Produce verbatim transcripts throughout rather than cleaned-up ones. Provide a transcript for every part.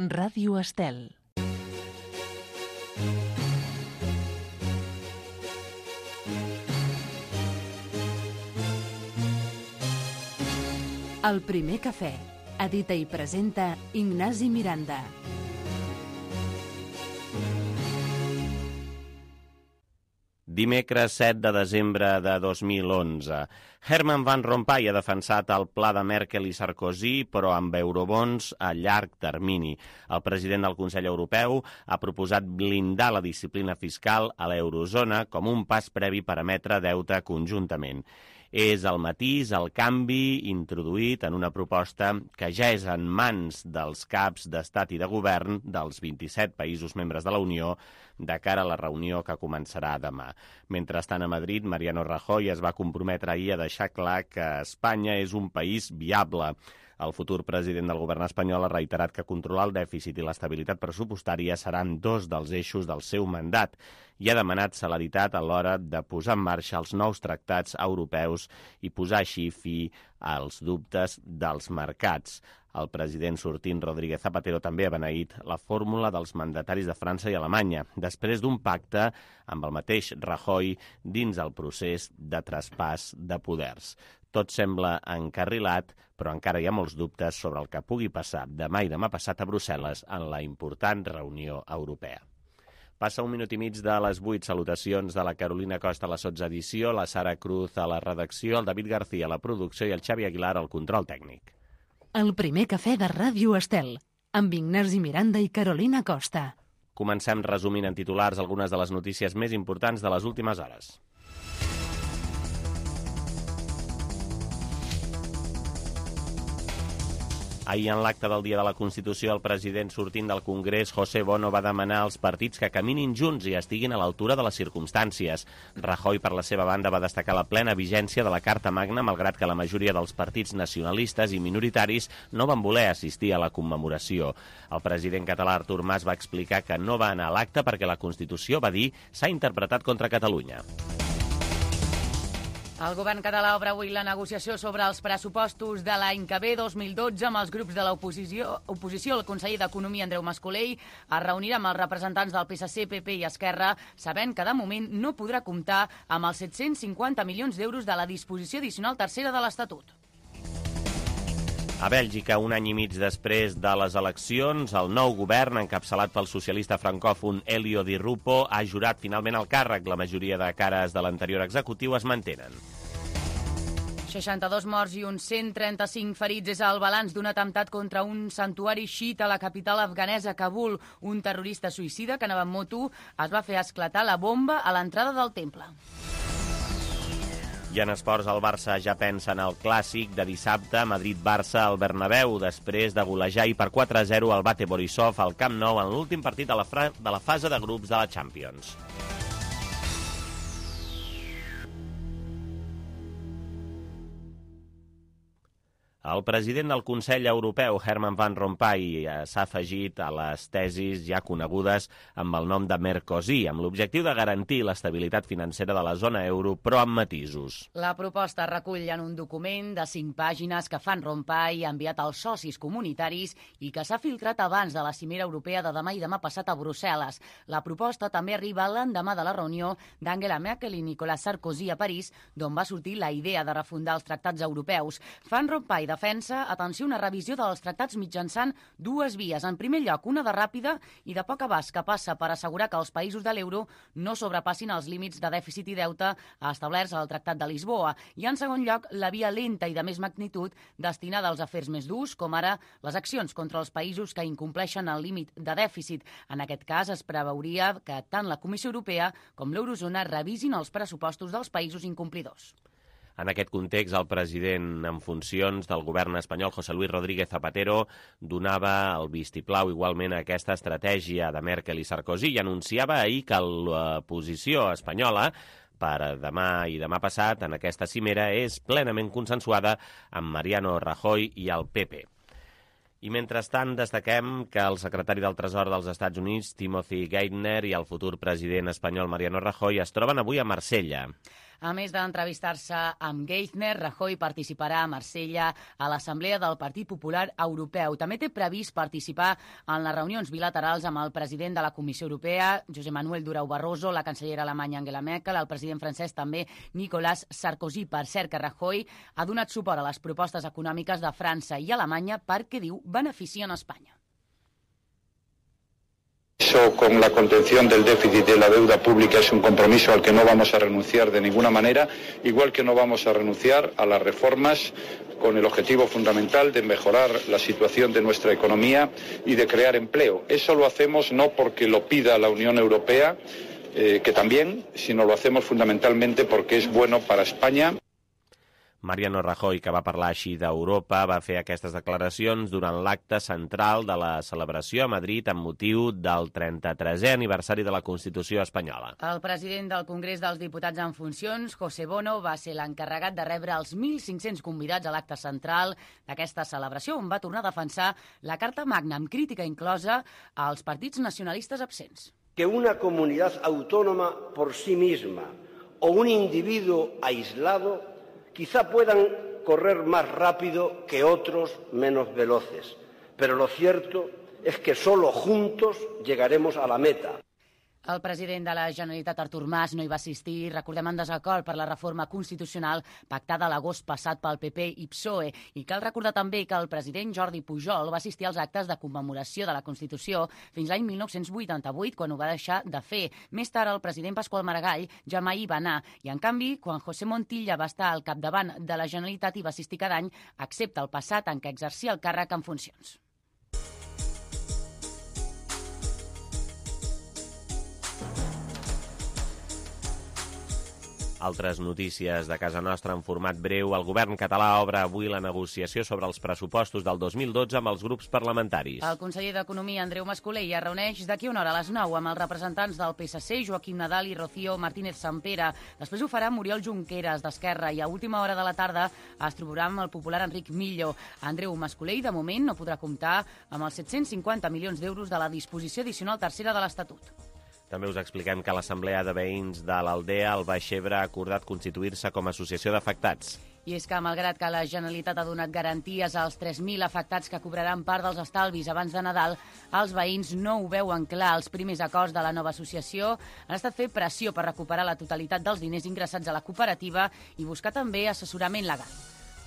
Ràdio Estel. El primer cafè. Edita i presenta Ignasi Miranda. Dimecres set de desembre de dos mil onze. Herman Van Rompuy ha defensat el pla de Merkel i Sarkozy, però amb eurobons a llarg termini. El president del Consell Europeu ha proposat blindar la disciplina fiscal a l'eurozona com un pas previ per emetre deute conjuntament. És el matís, el canvi introduït en una proposta que ja és en mans dels caps d'estat i de govern dels vint-i-set països membres de la Unió de cara a la reunió que començarà demà. Mentrestant, a Madrid, Mariano Rajoy es va comprometre ahir a deixar clar que Espanya és un país viable. El futur president del govern espanyol ha reiterat que controlar el dèficit i l'estabilitat pressupostària seran dos dels eixos del seu mandat i ha demanat celeritat a l'hora de posar en marxa els nous tractats europeus i posar així fi als dubtes dels mercats. El president sortint Rodríguez Zapatero també ha beneït la fórmula dels mandataris de França i Alemanya, després d'un pacte amb el mateix Rajoy dins el procés de traspàs de poders. Tot sembla encarrilat, però encara hi ha molts dubtes sobre el que pugui passar demà i demà passat a Brussel·les en la important reunió europea. Passa un minut i mig de les vuit. Salutacions de la Carolina Costa a la sotsedició, la Sara Cruz a la redacció, el David García a la producció i el Xavi Aguilar al control tècnic. El primer cafè de Ràdio Estel, amb Ignasi Miranda i Carolina Costa. Comencem resumint en titulars algunes de les notícies més importants de les últimes hores. Ahir, en l'acte del Dia de la Constitució, el president sortint del Congrés, José Bono, va demanar als partits que caminin junts i estiguin a l'altura de les circumstàncies. Rajoy, per la seva banda, va destacar la plena vigència de la Carta Magna, malgrat que la majoria dels partits nacionalistes i minoritaris no van voler assistir a la commemoració. El president català Artur Mas va explicar que no va anar a l'acte perquè la Constitució, va dir, s'ha interpretat contra Catalunya. El govern català obre avui la negociació sobre els pressupostos de l'any que ve, dos mil dotze, amb els grups de l'oposició. Oposició, el conseller d'Economia, Andreu Mas-Colell, es reunirà amb els representants del P S C, P P i Esquerra, sabent que de moment no podrà comptar amb els set-cents cinquanta milions d'euros de la disposició addicional tercera de l'Estatut. A Bèlgica, un any i mig després de les eleccions, el nou govern, encapçalat pel socialista francòfon Elio Di Rupo, ha jurat finalment el càrrec. La majoria de cares de l'anterior executiu es mantenen. seixanta-dos morts i uns cent trenta-cinc ferits és el balanç d'un atemptat contra un santuari xiita a la capital afganesa, Kabul. Un terrorista suïcida que anava en moto es va fer esclatar la bomba a l'entrada del temple. I en esports, el Barça ja pensa en el clàssic de dissabte, Madrid-Barça al Bernabéu, després de golejar i per quatre a zero el Bate Borisov al Camp Nou en l'últim partit de la, fra- de la fase de grups de la Champions. El president del Consell Europeu, Herman Van Rompuy, s'ha afegit a les tesis ja conegudes amb el nom de Mercosur, amb l'objectiu de garantir l'estabilitat financera de la zona euro, però amb matisos. La proposta recull en un document de cinc pàgines que Van Rompuy ha enviat als socis comunitaris i que s'ha filtrat abans de la cimera europea de demà i demà passat a Brussel·les. La proposta també arriba l'endemà de la reunió d'Angela Merkel i Nicolas Sarkozy a París, d'on va sortir la idea de refundar els tractats europeus. Van Rompuy defensa, atenció, una revisió dels tractats mitjançant dues vies. En primer lloc, una de ràpida i de poc abast que passa per assegurar que els països de l'euro no sobrepassin els límits de dèficit i deute establerts al Tractat de Lisboa. I en segon lloc, la via lenta i de més magnitud destinada als afers més durs, com ara les accions contra els països que incompleixen el límit de dèficit. En aquest cas, es preveuria que tant la Comissió Europea com l'Eurozona revisin els pressupostos dels països incomplidors. En aquest context, el president en funcions del govern espanyol, José Luis Rodríguez Zapatero, donava el vistiplau igualment a aquesta estratègia de Merkel i Sarkozy i anunciava ahir que la posició espanyola per demà i demà passat en aquesta cimera és plenament consensuada amb Mariano Rajoy i el P P. I mentrestant destaquem que el secretari del Tresor dels Estats Units, Timothy Geithner, i el futur president espanyol Mariano Rajoy es troben avui a Marsella. A més d'entrevistar-se amb Geithner, Rajoy participarà a Marsella a l'Assemblea del Partit Popular Europeu. També té previst participar en les reunions bilaterals amb el president de la Comissió Europea, José Manuel Durão Barroso, la cancellera alemanya Angela Merkel, el president francès també Nicolas Sarkozy. Per cert, que Rajoy ha donat suport a les propostes econòmiques de França i Alemanya perquè, diu, beneficien Espanya. Eso con la contención del déficit de la deuda pública es un compromiso al que no vamos a renunciar de ninguna manera, igual que no vamos a renunciar a las reformas con el objetivo fundamental de mejorar la situación de nuestra economía y de crear empleo. Eso lo hacemos no porque lo pida la Unión Europea, eh, que también, sino lo hacemos fundamentalmente porque es bueno para España. Mariano Rajoy, que va parlar així d'Europa, va fer aquestes declaracions durant l'acte central de la celebració a Madrid amb motiu del trenta-tresè aniversari de la Constitució espanyola. El president del Congrés dels Diputats en funcions, José Bono, va ser l'encarregat de rebre els mil cinc-cents convidats a l'acte central d'aquesta celebració, on va tornar a defensar la Carta Magna amb crítica inclosa als partits nacionalistes absents. Que una comunidad autónoma por sí misma o un individuo aislado quizá puedan correr más rápido que otros menos veloces, pero lo cierto es que solo juntos llegaremos a la meta. El president de la Generalitat, Artur Mas, no hi va assistir, recordem, en desacord per la reforma constitucional pactada l'agost passat pel P P i P S O E. I cal recordar també que el president Jordi Pujol va assistir als actes de commemoració de la Constitució fins l'any mil nou-cents vuitanta-vuit, quan ho va deixar de fer. Més tard, el president Pasqual Maragall ja mai hi va anar. I, en canvi, quan José Montilla va estar al capdavant de la Generalitat, hi va assistir cada any, excepte el passat en què exercia el càrrec en funcions. Altres notícies de casa nostra en format breu. El govern català obre avui la negociació sobre els pressupostos del dos mil dotze amb els grups parlamentaris. El conseller d'Economia, Andreu Mas-Colell, es reuneix d'aquí una hora a les nou amb els representants del P S C, Joaquim Nadal i Rocío Martínez Sampere. Després ho farà Muriel Junqueras, d'Esquerra, i a última hora de la tarda es trobarà amb el popular Enric Millo. Andreu Mas-Colell, de moment, no podrà comptar amb els set-cents cinquanta milions d'euros de la disposició addicional tercera de l'Estatut. També us expliquem que l'Assemblea de Veïns de l'Aldea, al Baix Ebre, ha acordat constituir-se com a associació d'afectats. I és que, malgrat que la Generalitat ha donat garanties als tres mil afectats que cobraran part dels estalvis abans de Nadal, els veïns no ho veuen clar. Els primers acords de la nova associació han estat fer pressió per recuperar la totalitat dels diners ingressats a la cooperativa i buscar també assessorament legal.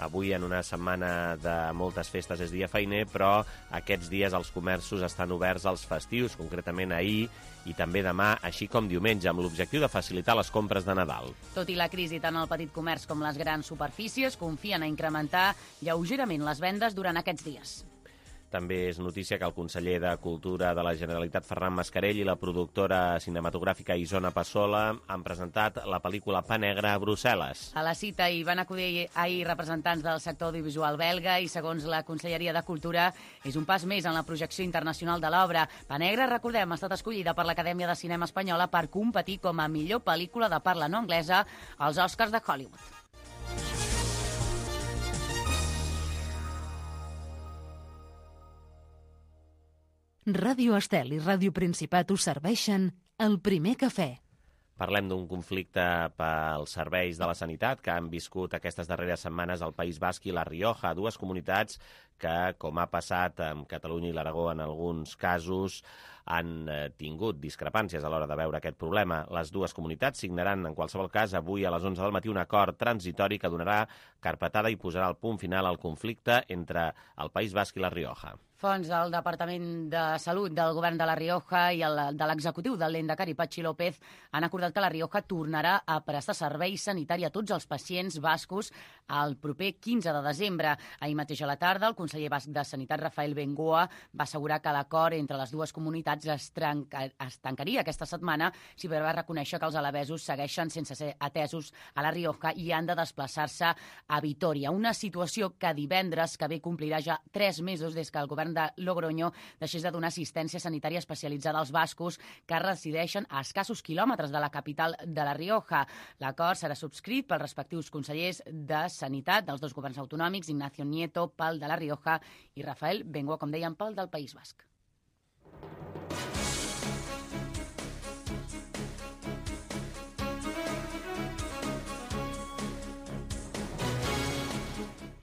Avui, en una setmana de moltes festes, és dia feiner, però aquests dies els comerços estan oberts als festius, concretament ahir i també demà, així com diumenge, amb l'objectiu de facilitar les compres de Nadal. Tot i la crisi, tant el petit comerç com les grans superfícies confien a incrementar lleugerament les vendes durant aquests dies. També és notícia que el conseller de Cultura de la Generalitat, Ferran Mascarell, i la productora cinematogràfica Isona Passola han presentat la pel·lícula Pa Negre a Brussel·les. A la cita hi van acudir ahir representants del sector audiovisual belga i, segons la Conselleria de Cultura, és un pas més en la projecció internacional de l'obra. Pa Negre, recordem, ha estat escollida per l'Acadèmia de Cinema Espanyola per competir com a millor pel·lícula de parla no anglesa als Oscars de Hollywood. Ràdio Estel i Ràdio Principat us serveixen el primer cafè. Parlem d'un conflicte pels serveis de la sanitat que han viscut aquestes darreres setmanes al País Basc i la Rioja, dues comunitats que, com ha passat amb Catalunya i l'Aragó en alguns casos, han tingut discrepàncies a l'hora de veure aquest problema. Les dues comunitats signaran, en qualsevol cas, avui a les onze del matí un acord transitori que donarà carpetada i posarà el punt final al conflicte entre el País Basc i la Rioja. Fonts del Departament de Salut del Govern de la Rioja i el de l'executiu del Lehendakari, Patxi López, han acordat que la Rioja tornarà a prestar servei sanitari a tots els pacients bascos el proper quinze de desembre. Ahir mateix a la tarda, el conseller basc de Sanitat, Rafael Bengoa, va assegurar que l'acord entre les dues comunitats es, trenca, es tancaria aquesta setmana, si bé va reconèixer que els alabesos segueixen sense ser atesos a la Rioja i han de desplaçar-se a Vitòria. Una situació que divendres que ve complirà ja tres mesos des que el govern de Logroño deixés de donar assistència sanitària especialitzada als bascos que resideixen a escassos quilòmetres de la capital de la Rioja. L'acord serà subscrit pels respectius consellers de Sanitat dels dos governs autonòmics, Ignacio Nieto, pel de la Rioja, i Rafael Bengoa, com dèiem, pel del País Basc.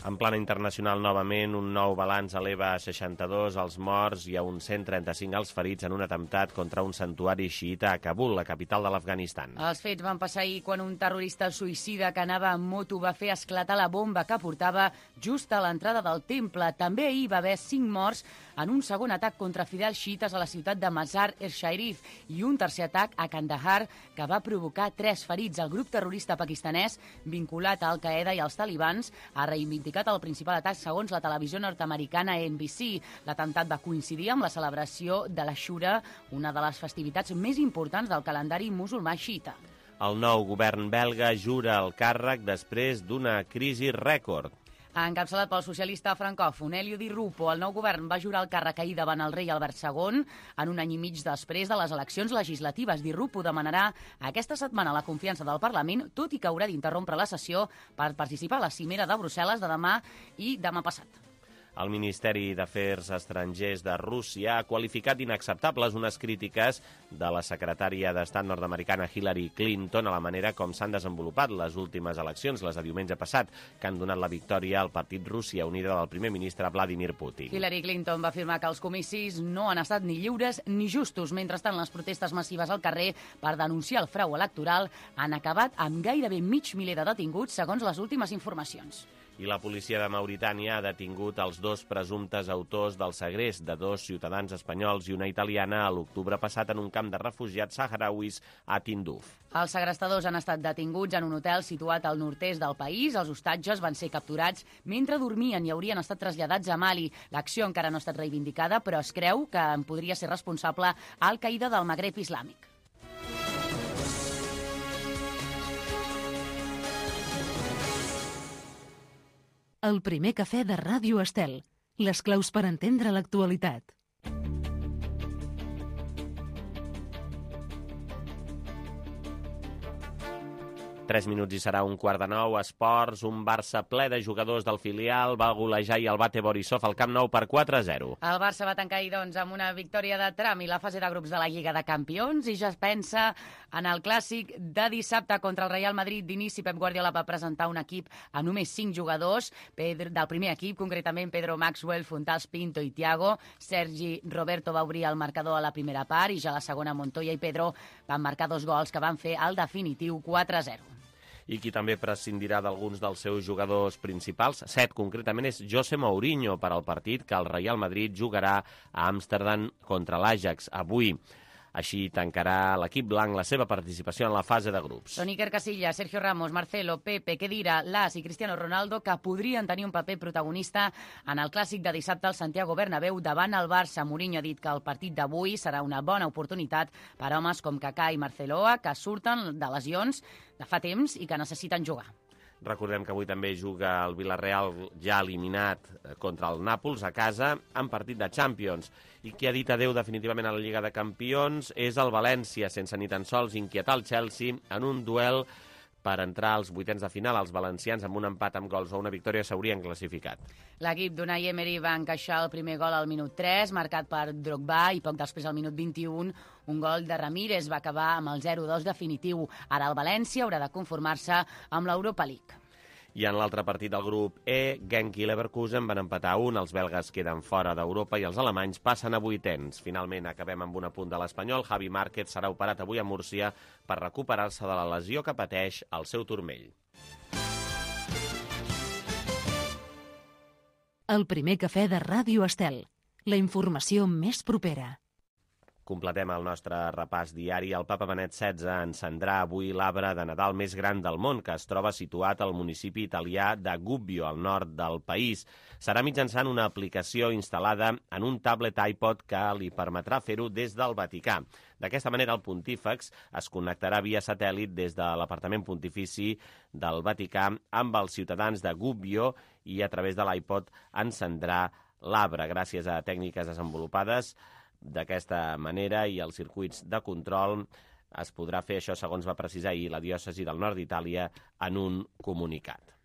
En plana internacional, novament, un nou balanç eleva a seixanta-dos els morts i a uns cent trenta-cinc els ferits en un atemptat contra un santuari xiita a Kabul, la capital de l'Afganistan. Els fets van passar ahir quan un terrorista suïcida que anava amb moto va fer esclatar la bomba que portava just a l'entrada del temple. També ahir va haver cinc morts en un segon atac contra fidels xiites a la ciutat de Mazar-e-Sharif i un tercer atac a Kandahar que va provocar tres ferits. El grup terrorista pakistanès vinculat a Al-Qaeda i als talibans ha reivindicat el principal atac segons la televisió nord-americana N B C. L'atemptat va coincidir amb la celebració de l'Ashura, una de les festivitats més importants del calendari musulmà xiita. El nou govern belga jura el càrrec després d'una crisi rècord. Encapçalat pel socialista francòfon Elio Di Rupo, el nou govern va jurar el càrrec ahir davant el rei Albert segon en un any i mig després de les eleccions legislatives. Di Rupo demanarà aquesta setmana la confiança del Parlament, tot i que haurà d'interrompre la sessió per participar a la cimera de Brussel·les de demà i demà passat. El Ministeri d'Afers Estrangers de Rússia ha qualificat inacceptables unes crítiques de la secretària d'Estat nord-americana Hillary Clinton a la manera com s'han desenvolupat les últimes eleccions, les de diumenge passat, que han donat la victòria al partit Rússia Unida del primer ministre Vladimir Putin. Hillary Clinton va afirmar que els comicis no han estat ni lliures ni justos. Mentrestant, les protestes massives al carrer per denunciar el frau electoral han acabat amb gairebé mig miler de detinguts, segons les últimes informacions. I la policia de Mauritània ha detingut els dos presumptes autors del segrest de dos ciutadans espanyols i una italiana a l'octubre passat en un camp de refugiats saharauis a Tinduf. Els segrestadors han estat detinguts en un hotel situat al nord-est del país. Els hostatges van ser capturats mentre dormien i haurien estat traslladats a Mali. L'acció encara no ha estat reivindicada, però es creu que en podria ser responsable Al-Qaeda del Magreb islàmic. El primer cafè de Ràdio Estel. Les claus per entendre l'actualitat. Tres minuts i serà un quart de nou. Esports, un Barça ple de jugadors del filial va golejar i el Bate Borisov al Camp Nou per quatre a zero. El Barça va tancar ahir, doncs, amb una victòria de tram i la fase de grups de la Lliga de Campions i ja es pensa en el clàssic de dissabte contra el Real Madrid. D'inici, Pep Guardiola va presentar un equip a només cinc jugadors Pedro, del primer equip, concretament Pedro Maxwell, Fontals, Pinto i Thiago. Sergi Roberto va obrir el marcador a la primera part i ja a la segona Montoya i Pedro van marcar dos gols que van fer el definitiu quatre a zero. I qui també prescindirà d'alguns dels seus jugadors principals, set concretament, és José Mourinho per al partit que el Real Madrid jugarà a Amsterdam contra l'Ajax avui. Així tancarà l'equip blanc la seva participació en la fase de grups. Són Iker Casillas, Sergio Ramos, Marcelo, Pepe, Khedira, Las i Cristiano Ronaldo que podrien tenir un paper protagonista en el clàssic de dissabte al Santiago Bernabéu davant el Barça. Mourinho ha dit que el partit d'avui serà una bona oportunitat per a homes com Kaká i Marceloa que surten de lesions de fa temps i que necessiten jugar. Recordem que avui també juga el Villarreal ja eliminat contra el Nàpols a casa en partit de Champions. I qui ha dit adeu definitivament a la Lliga de Campions és el València, sense ni tan sols inquietar el Chelsea en un duel per entrar als vuitens de final. Els valencians amb un empat amb gols o una victòria s'haurien classificat. L'equip d'Unai Emery va encaixar el primer gol al minut tres, marcat per Drogba, i poc després, al minut vint-i-un, un gol de Ramírez va acabar amb el zero dos definitiu. Ara el València haurà de conformar-se amb l'Europa League. I en l'altre partit del grup E, Genk i Leverkusen van empatar un, els belgues queden fora d'Europa i els alemanys passen a vuitens. Finalment acabem amb un apunt de l'Espanyol. Javi Márquez serà operat avui a Múrcia per recuperar-se de la lesió que pateix al seu turmell. El primer cafè de Ràdio Estel. La informació més propera. Completem el nostre repàs diari. El Papa Benet setze encendrà avui l'arbre de Nadal més gran del món, que es troba situat al municipi italià de Gubbio, al nord del país. Serà mitjançant una aplicació instal·lada en un tablet iPod que li permetrà fer-ho des del Vaticà. D'aquesta manera, el pontífex es connectarà via satèl·lit des de l'apartament pontifici del Vaticà amb els ciutadans de Gubbio i a través de l'iPod encendrà l'arbre. Gràcies a tècniques desenvolupades d'aquesta manera i els circuits de control es podrà fer això, segons va precisar ahir la diòcesi del nord d'Itàlia en un comunicat.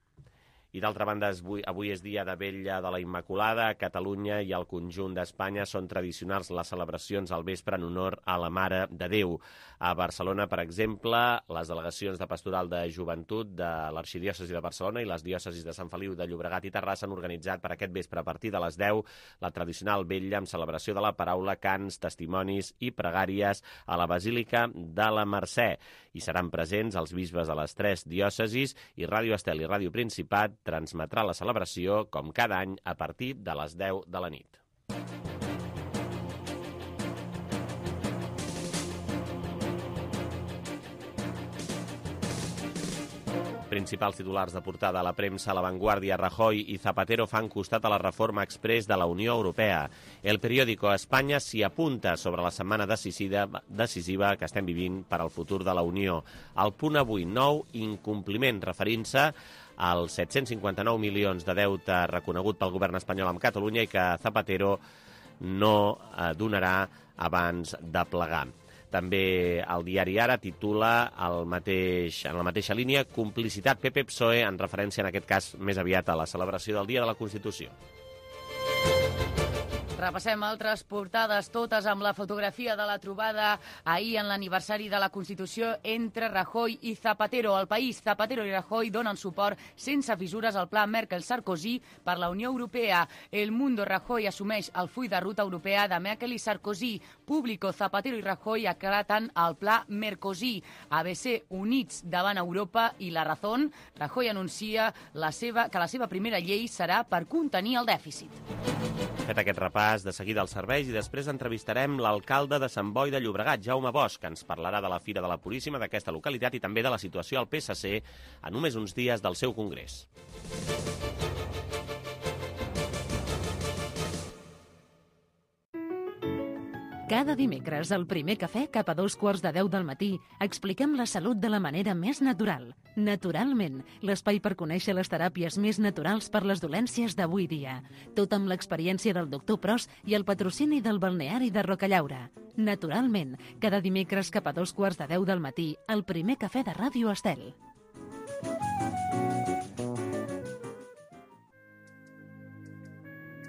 I d'altra banda, avui és dia de Vetlla de la Immaculada. A Catalunya i al conjunt d'Espanya són tradicionals les celebracions al vespre en honor a la Mare de Déu. A Barcelona, per exemple, les delegacions de Pastoral de Joventut de l'Arxidiòcesi de Barcelona i les diòcesis de Sant Feliu de Llobregat i Terrassa han organitzat per aquest vespre a partir de les deu la tradicional vetlla amb celebració de la paraula, cants, testimonis i pregàries a la Basílica de la Mercè. Hi seran presents els bisbes de les tres diòcesis i Ràdio Estel i Ràdio Principat transmetrà la celebració, com cada any, a partir de les deu de la nit. Principals titulars de portada a la premsa, La Vanguardia, Rajoy i Zapatero fan costat a la reforma exprés de la Unió Europea. El periòdico Espanya s'hi apunta sobre la setmana decisiva, decisiva que estem vivint per al futur de la Unió. El punt avui, nou incompliment, referint-se als set-cents cinquanta-nou milions de deute reconegut pel govern espanyol amb Catalunya i que Zapatero no eh, donarà abans de plegar. També el diari Ara titula el mateix, en la mateixa línia complicitat P P-P S O E, en referència en aquest cas més aviat a la celebració del Dia de la Constitució. Repassem altres portades, totes amb la fotografia de la trobada ahir en l'aniversari de la Constitució entre Rajoy i Zapatero. Al País, Zapatero i Rajoy donen suport sense fissures al pla Merkel-Sarkozy per la Unió Europea. El Mundo, Rajoy assumeix el full de ruta europea de Merkel i Sarkozy. Público, Zapatero i Rajoy aclaten el pla Mercosí. A B C, units davant Europa i La Razón. Rajoy anuncia la seva, que la seva primera llei serà per contenir el dèficit. Fet aquest repàs, de seguida als serveis i després entrevistarem l'alcalde de Sant Boi de Llobregat, Jaume Bosch, que ens parlarà de la Fira de la Puríssima d'aquesta localitat i també de la situació al P S C a només uns dies del seu congrés. Cada dimecres, al primer cafè, cap a dos quarts de deu del matí, expliquem la salut de la manera més natural. Naturalment, l'espai per conèixer les teràpies més naturals per les dolències d'avui dia. Tot amb l'experiència del doctor Pros i el patrocini del balneari de Rocallaura. Naturalment, cada dimecres cap a dos quarts de deu del matí, al primer cafè de Ràdio Estel.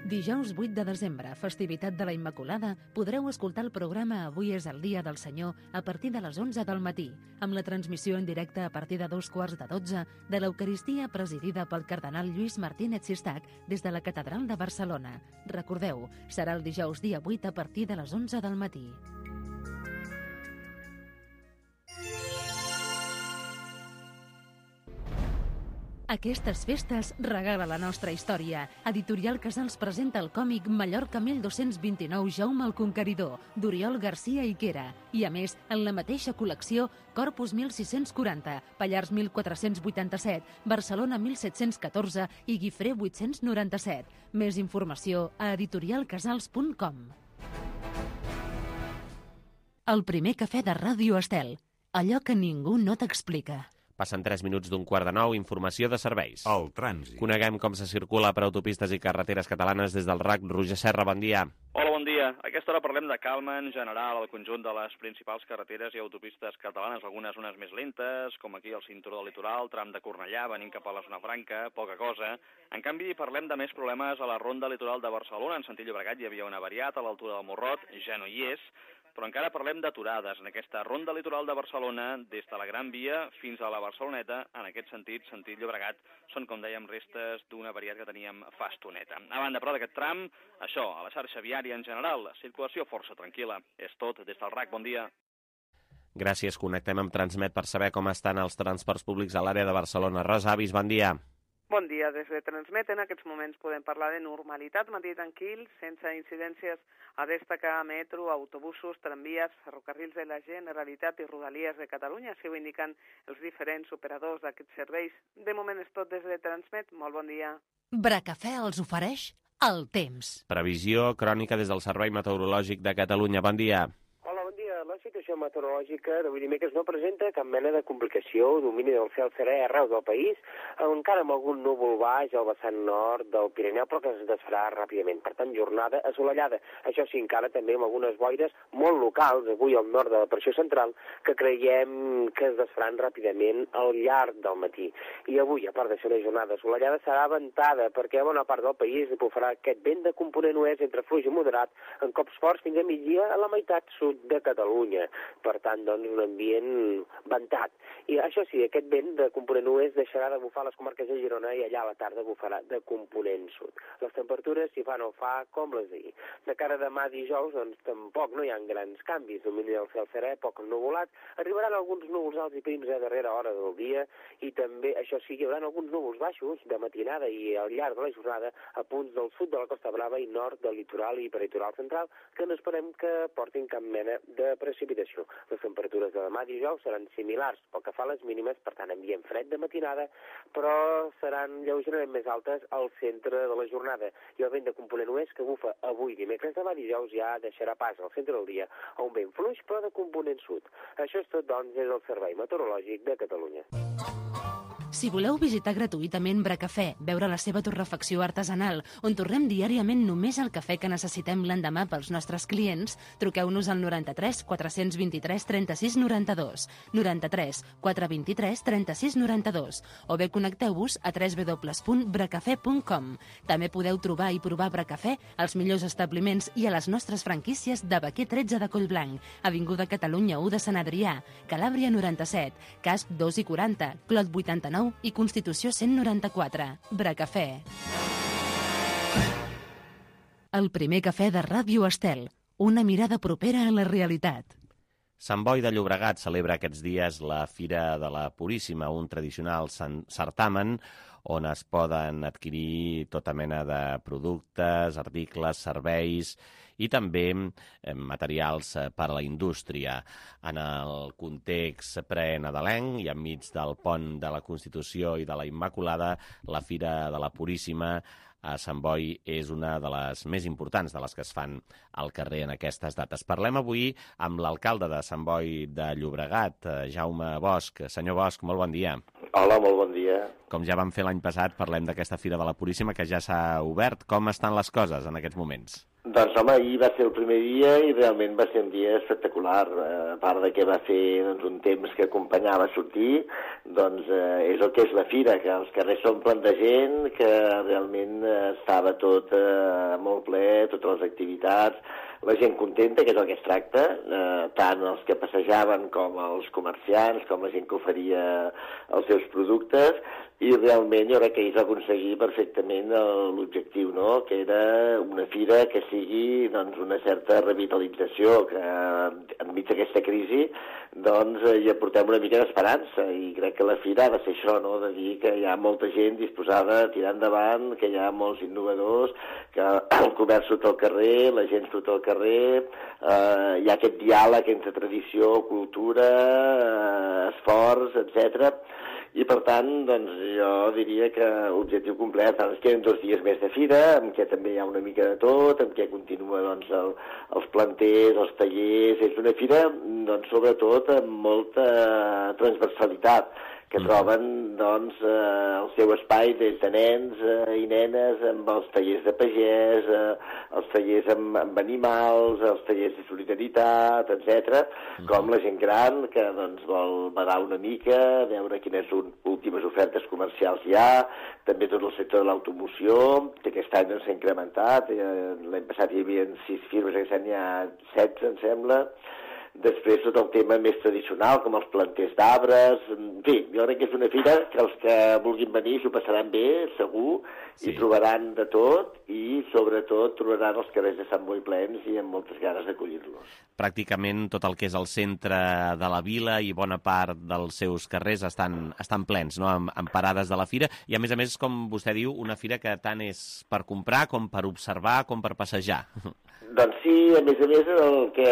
Dijous vuit de desembre, festivitat de la Immaculada, podreu escoltar el programa Avui és el dia del Senyor a partir de les onze del matí, amb la transmissió en directe a partir de dos quarts de dotze de l'Eucaristia presidida pel cardenal Lluís Martínez Sistac des de la Catedral de Barcelona. Recordeu, serà el dijous dia vuit a partir de les onze del matí. Aquestes festes regala la nostra història. Editorial Casals presenta el còmic Mallorca mil dos-cents vint-i-nou Jaume el Conqueridor, d'Oriol Garcia i Quera. I a més, en la mateixa col·lecció, Corpus mil sis-cents quaranta, Pallars mil quatre-cents vuitanta-set, Barcelona mil set-cents catorze i Guifré vuit-cents noranta-set. Més informació a editorial casals punt com. El primer cafè de Ràdio Estel. Allò que ningú no t'explica. Passen tres minuts d'un quart de nou, informació de serveis. El trànsit. Coneguem com se circula per autopistes i carreteres catalanes des del R A C. Roger Serra, bon dia. Hola, bon dia. A aquesta hora parlem de calma en general al conjunt de les principals carreteres i autopistes catalanes, algunes zones més lentes, com aquí el cinturó del litoral, tram de Cornellà, venint cap a la zona franca, poca cosa. En canvi, parlem de més problemes a la ronda litoral de Barcelona. En sentit Llobregat hi havia una variat a l'altura del Morrot, ja no hi és, però encara parlem d'aturades en aquesta ronda litoral de Barcelona, des de la Gran Via fins a la Barceloneta. En aquest sentit, sentit Llobregat, són, com dèiem, restes d'una variat que teníem fa estoneta. A banda, però, d'aquest tram, això, a la xarxa viària en general, circulació força tranquil·la. És tot des del R A C. Bon dia. Gràcies. Connectem amb Transmet per saber com estan els transports públics a l'àrea de Barcelona. Rosa Avis, bon dia. Bon dia. Des de Transmet, en aquests moments podem parlar de normalitat, matí tranquil, sense incidències a destacar metro, autobusos, tramvies, ferrocarrils de la Generalitat i Rodalies de Catalunya, així ho indiquen els diferents operadors d'aquests serveis. De moment és tot des de Transmet. Molt bon dia. Bracafè els ofereix el temps. Previsió crònica des del Servei Meteorològic de Catalunya. Bon dia. Hola, bon dia. La cita situació meteorològica d'avui dimecres no presenta cap mena de complicació, domini del cel serè arreu del país, encara amb algun núvol baix al vessant nord del Pirineu, però que es desfarà ràpidament. Per tant, jornada assolellada. Això sí, encara també amb algunes boires molt locals, avui al nord de la pressió central, que creiem que es desfaran ràpidament al llarg del matí. I avui, a part de ser una jornada assolellada, serà ventada, perquè a bona part del país bufarà aquest vent de component oest entre fluix i moderat, en cops forts fins a migdia a la meitat sud de Catalunya. Per tant, doncs, un ambient ventat. I això sí, aquest vent de component oest deixarà de bufar a les comarques de Girona i allà a la tarda bufarà de component sud. Les temperatures, si fa no fa, com les d'ahir. De cara a demà dijous, doncs, tampoc no hi ha grans canvis. Domini del cel serè, poc ennuvolat. Arribaran alguns núvols alts i prims a darrera hora del dia i també, això sí, hi haurà alguns núvols baixos de matinada i al llarg de la jornada a punts del sud de la Costa Brava i nord del litoral i peritoral central, que no esperem que portin cap mena de precipitació. Les temperatures de demà dijous seran similars pel que fa a les mínimes, per tant ambient fred de matinada, però seran lleugerament més altes al centre de la jornada. I el vent de component oest que bufa avui dimecres demà dijous ja deixarà pas al centre del dia a un vent fluix però de component sud. Això és tot, doncs, des del Servei Meteorològic de Catalunya. Si voleu visitar gratuïtament Bracafè, veure la seva torrefacció artesanal, on torrem diàriament només el cafè que necessitem l'endemà pels nostres clients, truqueu-nos al noranta-tres quatre vint tres trenta-sis noranta-dos, noranta-tres quatre vint tres trenta-sis noranta-dos, o bé connecteu-vos a w w w punt bracafè punt com. També podeu trobar i provar Bracafè als millors establiments i a les nostres franquícies de Baquer tretze de Collblanc, Avinguda Catalunya u de Sant Adrià, Calàbria noranta-set, Casp dos i quaranta, Clot vuitanta-nou i Constitució cent noranta-quatre. Bracafè. El primer cafè de Ràdio Estel. Una mirada propera a la realitat. Sant Boi de Llobregat celebra aquests dies la Fira de la Puríssima, un tradicional certamen on es poden adquirir tota mena de productes, articles, serveis i també materials per a la indústria. En el context pre-nadalenc i enmig del pont de la Constitució i de la Immaculada, la Fira de la Puríssima a Sant Boi és una de les més importants de les que es fan al carrer en aquestes dates. Parlem avui amb l'alcalde de Sant Boi de Llobregat, Jaume Bosch. Senyor Bosch, molt bon dia. Hola, molt bon dia. Com ja vam fer l'any passat, parlem d'aquesta Fira de la Puríssima que ja s'ha obert. Com estan les coses en aquests moments? Doncs, home, ahir va ser el primer dia i realment va ser un dia espectacular. A part de que va fer doncs, un temps que acompanyava a sortir, doncs eh, és el que és la Fira, que els carrers s'omplen de gent, que realment eh, estava tot eh, molt ple, totes les activitats, la gent contenta, que és el que es tracta, eh, tant els que passejaven com els comerciants, com la gent que oferia els seus productes, i realment jo crec que ells va aconseguir perfectament l'objectiu, no? Que era una fira que sigui doncs, una certa revitalització, que enmig d'aquesta crisi doncs, hi aportem una mica d'esperança, i crec que la fira ha de ser això, no? De dir que hi ha molta gent disposada a tirar endavant, que hi ha molts innovadors, que el comerç surt al carrer, la gent surt al carrer, eh, hi ha aquest diàleg entre tradició, cultura, eh, esforç, etcètera. I, per tant, doncs, jo diria que objectiu complet, ens queden dos dies més de fira, en què també hi ha una mica de tot, en què continua doncs, el, els planters, els tallers. És una fira, doncs, sobretot, amb molta transversalitat, que troben doncs, eh, el seu espai des de nens eh, i nenes amb els tallers de pagès, eh, els tallers amb, amb animals, els tallers de solidaritat, etcètera, mm. com la gent gran que doncs, vol badar una mica, veure quines últimes ofertes comercials hi ha, també tot el sector de l'automoció, que aquest any s'ha incrementat, eh, l'any passat hi havia sis firmes, aquest any hi ha setze, em sembla. Després tot el tema més tradicional, com els planters d'arbres. En fi, jo crec que és una fira que els que vulguin venir s'ho passaran bé, segur, sí. I trobaran de tot, i sobretot trobaran els carrers de Sant Boi plens i amb moltes ganes d'acollir-los. Pràcticament tot el que és el centre de la vila i bona part dels seus carrers estan, estan plens, no? amb, amb parades de la fira, i a més a més, com vostè diu, una fira que tant és per comprar com per observar com per passejar. Doncs sí, a més a més, el que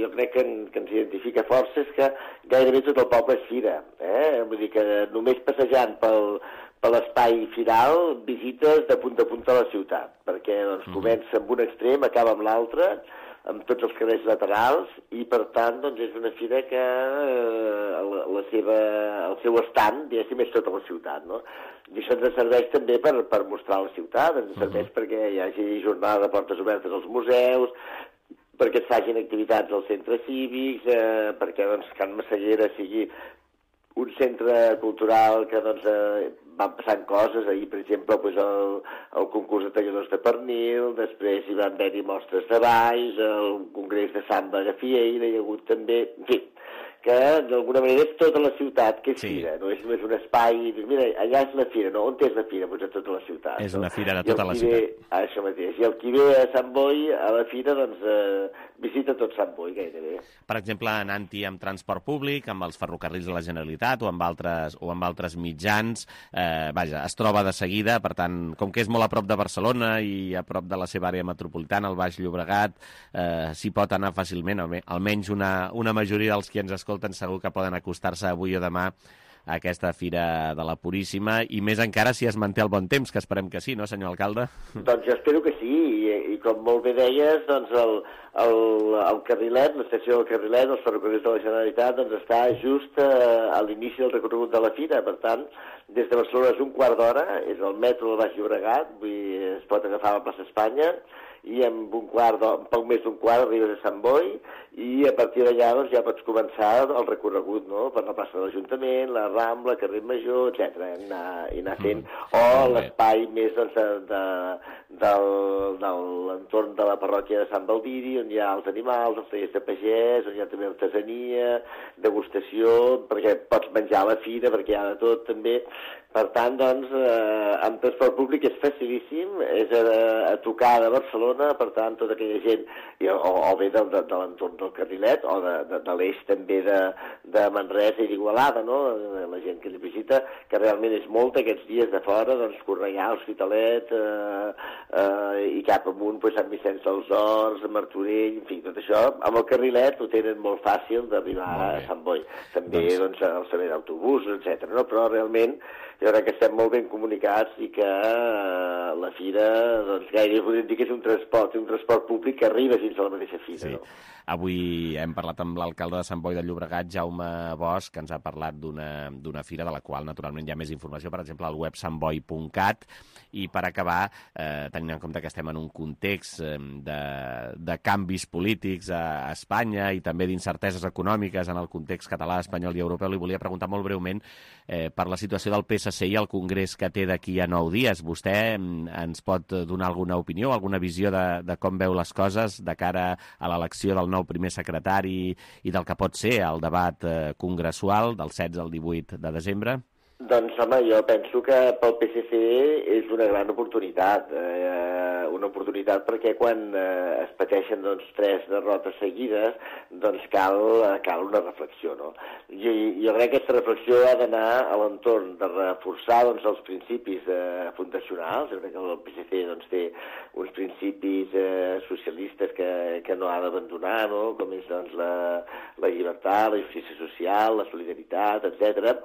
jo crec que, que ens identifica força és que gairebé tot el poble és fira. Eh? Vull dir que només passejant pel, per l'espai firal visites de punt a punt a la ciutat, perquè doncs, comença amb un extrem, acaba amb l'altre, amb tots els carrers laterals, i per tant doncs, és una fira que eh, la, la seva, el seu estand, diguéssim, és tota la ciutat, no? I això ens serveix també per, per mostrar la ciutat, ens serveix uh -huh. perquè hi hagi jornada de portes obertes als museus, perquè es facin activitats als centres cívics, eh, perquè doncs, Can Massaguera sigui un centre cultural que doncs, eh, van passant coses. Ahir, per exemple, doncs, el, el concurs de talladors de pernil, després hi van haver-hi mostres de balls, el congrés de samba de Fieira, hi ha hagut també... En fi, que d'alguna manera és tota la ciutat que és sí. fira, no és només un espai, mira, allà és la fira, no? On és la fira? Doncs a tota la ciutat. És no? una fira de tota la ciutat. Ve, això mateix. I el qui ve a Sant Boi, a la fira, doncs eh, visita tot Sant Boi, gairebé. Per exemple, anant-hi amb transport públic, amb els ferrocarrils de la Generalitat o amb altres, o amb altres mitjans, eh, vaja, es troba de seguida, per tant, com que és molt a prop de Barcelona i a prop de la seva àrea metropolitana, el Baix Llobregat, eh, s'hi pot anar fàcilment, almenys una, una majoria dels qui ens escolten segur que poden acostar-se avui o demà a aquesta Fira de la Puríssima, i més encara si es manté el bon temps, que esperem que sí, no, senyor alcalde? Doncs jo espero que sí, i, i com molt bé deies, doncs el, el, el carrilet, l'estació del carrilet, els ferrocarrils de la Generalitat, doncs està just a, a l'inici del recorregut de la Fira, per tant, des de Barcelona és un quart d'hora, és el metro del Baix Llobregat, vull dir, es pot agafar a la plaça Espanya, i en un quart, en poc més d'un quart arribes a Sant Boi, i a partir d'allà doncs, ja pots començar el recorregut, no?, per la plaça de l'Ajuntament, la Rambla, carrer Major, etcètera, i anar, i anar fent, mm. o l'espai més doncs, de, de, del, de l'entorn de la parròquia de Sant Baldiri, on hi ha els animals, els tallers de pagès, on hi ha també artesania, degustació, perquè pots menjar a la fira, perquè hi ha de tot també. Per tant, doncs, eh, amb transport públic és facilíssim, és a, a tocar de Barcelona, per tant, tota aquella gent, o, o bé de, de, de l'entorn del carrilet, o de, de, de l'eix també de, de Manresa i d'Igualada, no?, la gent que li visita, que realment és molta aquests dies de fora, doncs, Cornellà, Hospitalet, eh, eh, i cap amunt, pues, Sant Vicenç dels Horts, Martorell, en fi, tot això, amb el carrilet ho tenen molt fàcil d'arribar a Sant Boi. També, doncs, doncs el servei d'autobusos, etcètera, no?, però realment jo crec que estem molt ben comunicats i que eh, la fira, doncs, gairebé podríem dir que és un transport, un transport públic que arriba fins a la mateixa fira, sí. No? Avui hem parlat amb l'alcalde de Sant Boi de Llobregat, Jaume Bosch, que ens ha parlat d'una fira de la qual, naturalment, hi ha més informació, per exemple, al web sant boi punt cat. I per acabar, eh, tenint en compte que estem en un context eh, de, de canvis polítics a Espanya i també d'incerteses econòmiques en el context català, espanyol i europeu, li volia preguntar molt breument eh, per la situació del P S C i el congrés que té d'aquí a nou dies. Vostè ens pot donar alguna opinió, alguna visió de, de com veu les coses de cara a l'elecció del nou primer secretari i del que pot ser el debat eh, congressual del setze al divuit de desembre? Doncs, home, jo penso que pel P S C és una gran oportunitat, eh, una oportunitat perquè quan eh, es pateixen doncs, tres derrotes seguides, doncs cal, cal una reflexió, no? Jo, jo crec que aquesta reflexió ha d'anar a l'entorn de reforçar doncs, els principis eh, fundacionals. Jo crec que el P S C doncs, té uns principis eh, socialistes que, que no ha d'abandonar, no?, com és doncs, la, la llibertat, la justícia social, la solidaritat, etcètera,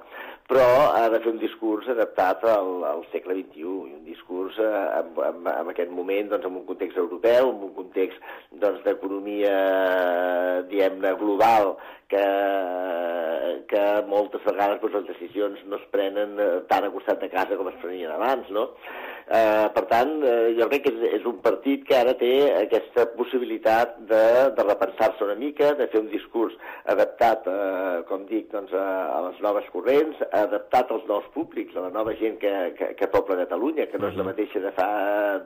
però ha de fer un discurs adaptat al, al segle vint-i-u, i un discurs eh, en, en, en aquest moment, doncs, en un context europeu, en un context doncs, d'economia, diguem-ne, global, que, que moltes vegades doncs, les decisions no es prenen tan a costat de casa com es prenien abans, no? Eh, per tant, eh, jo crec que és, és un partit que ara té aquesta possibilitat de, de repensar-se una mica, de fer un discurs adaptat, eh, com dic, doncs, a, a les noves corrents, adaptat als nous públics, a la nova gent que, que, que pobla Catalunya, que no és la mateixa de fa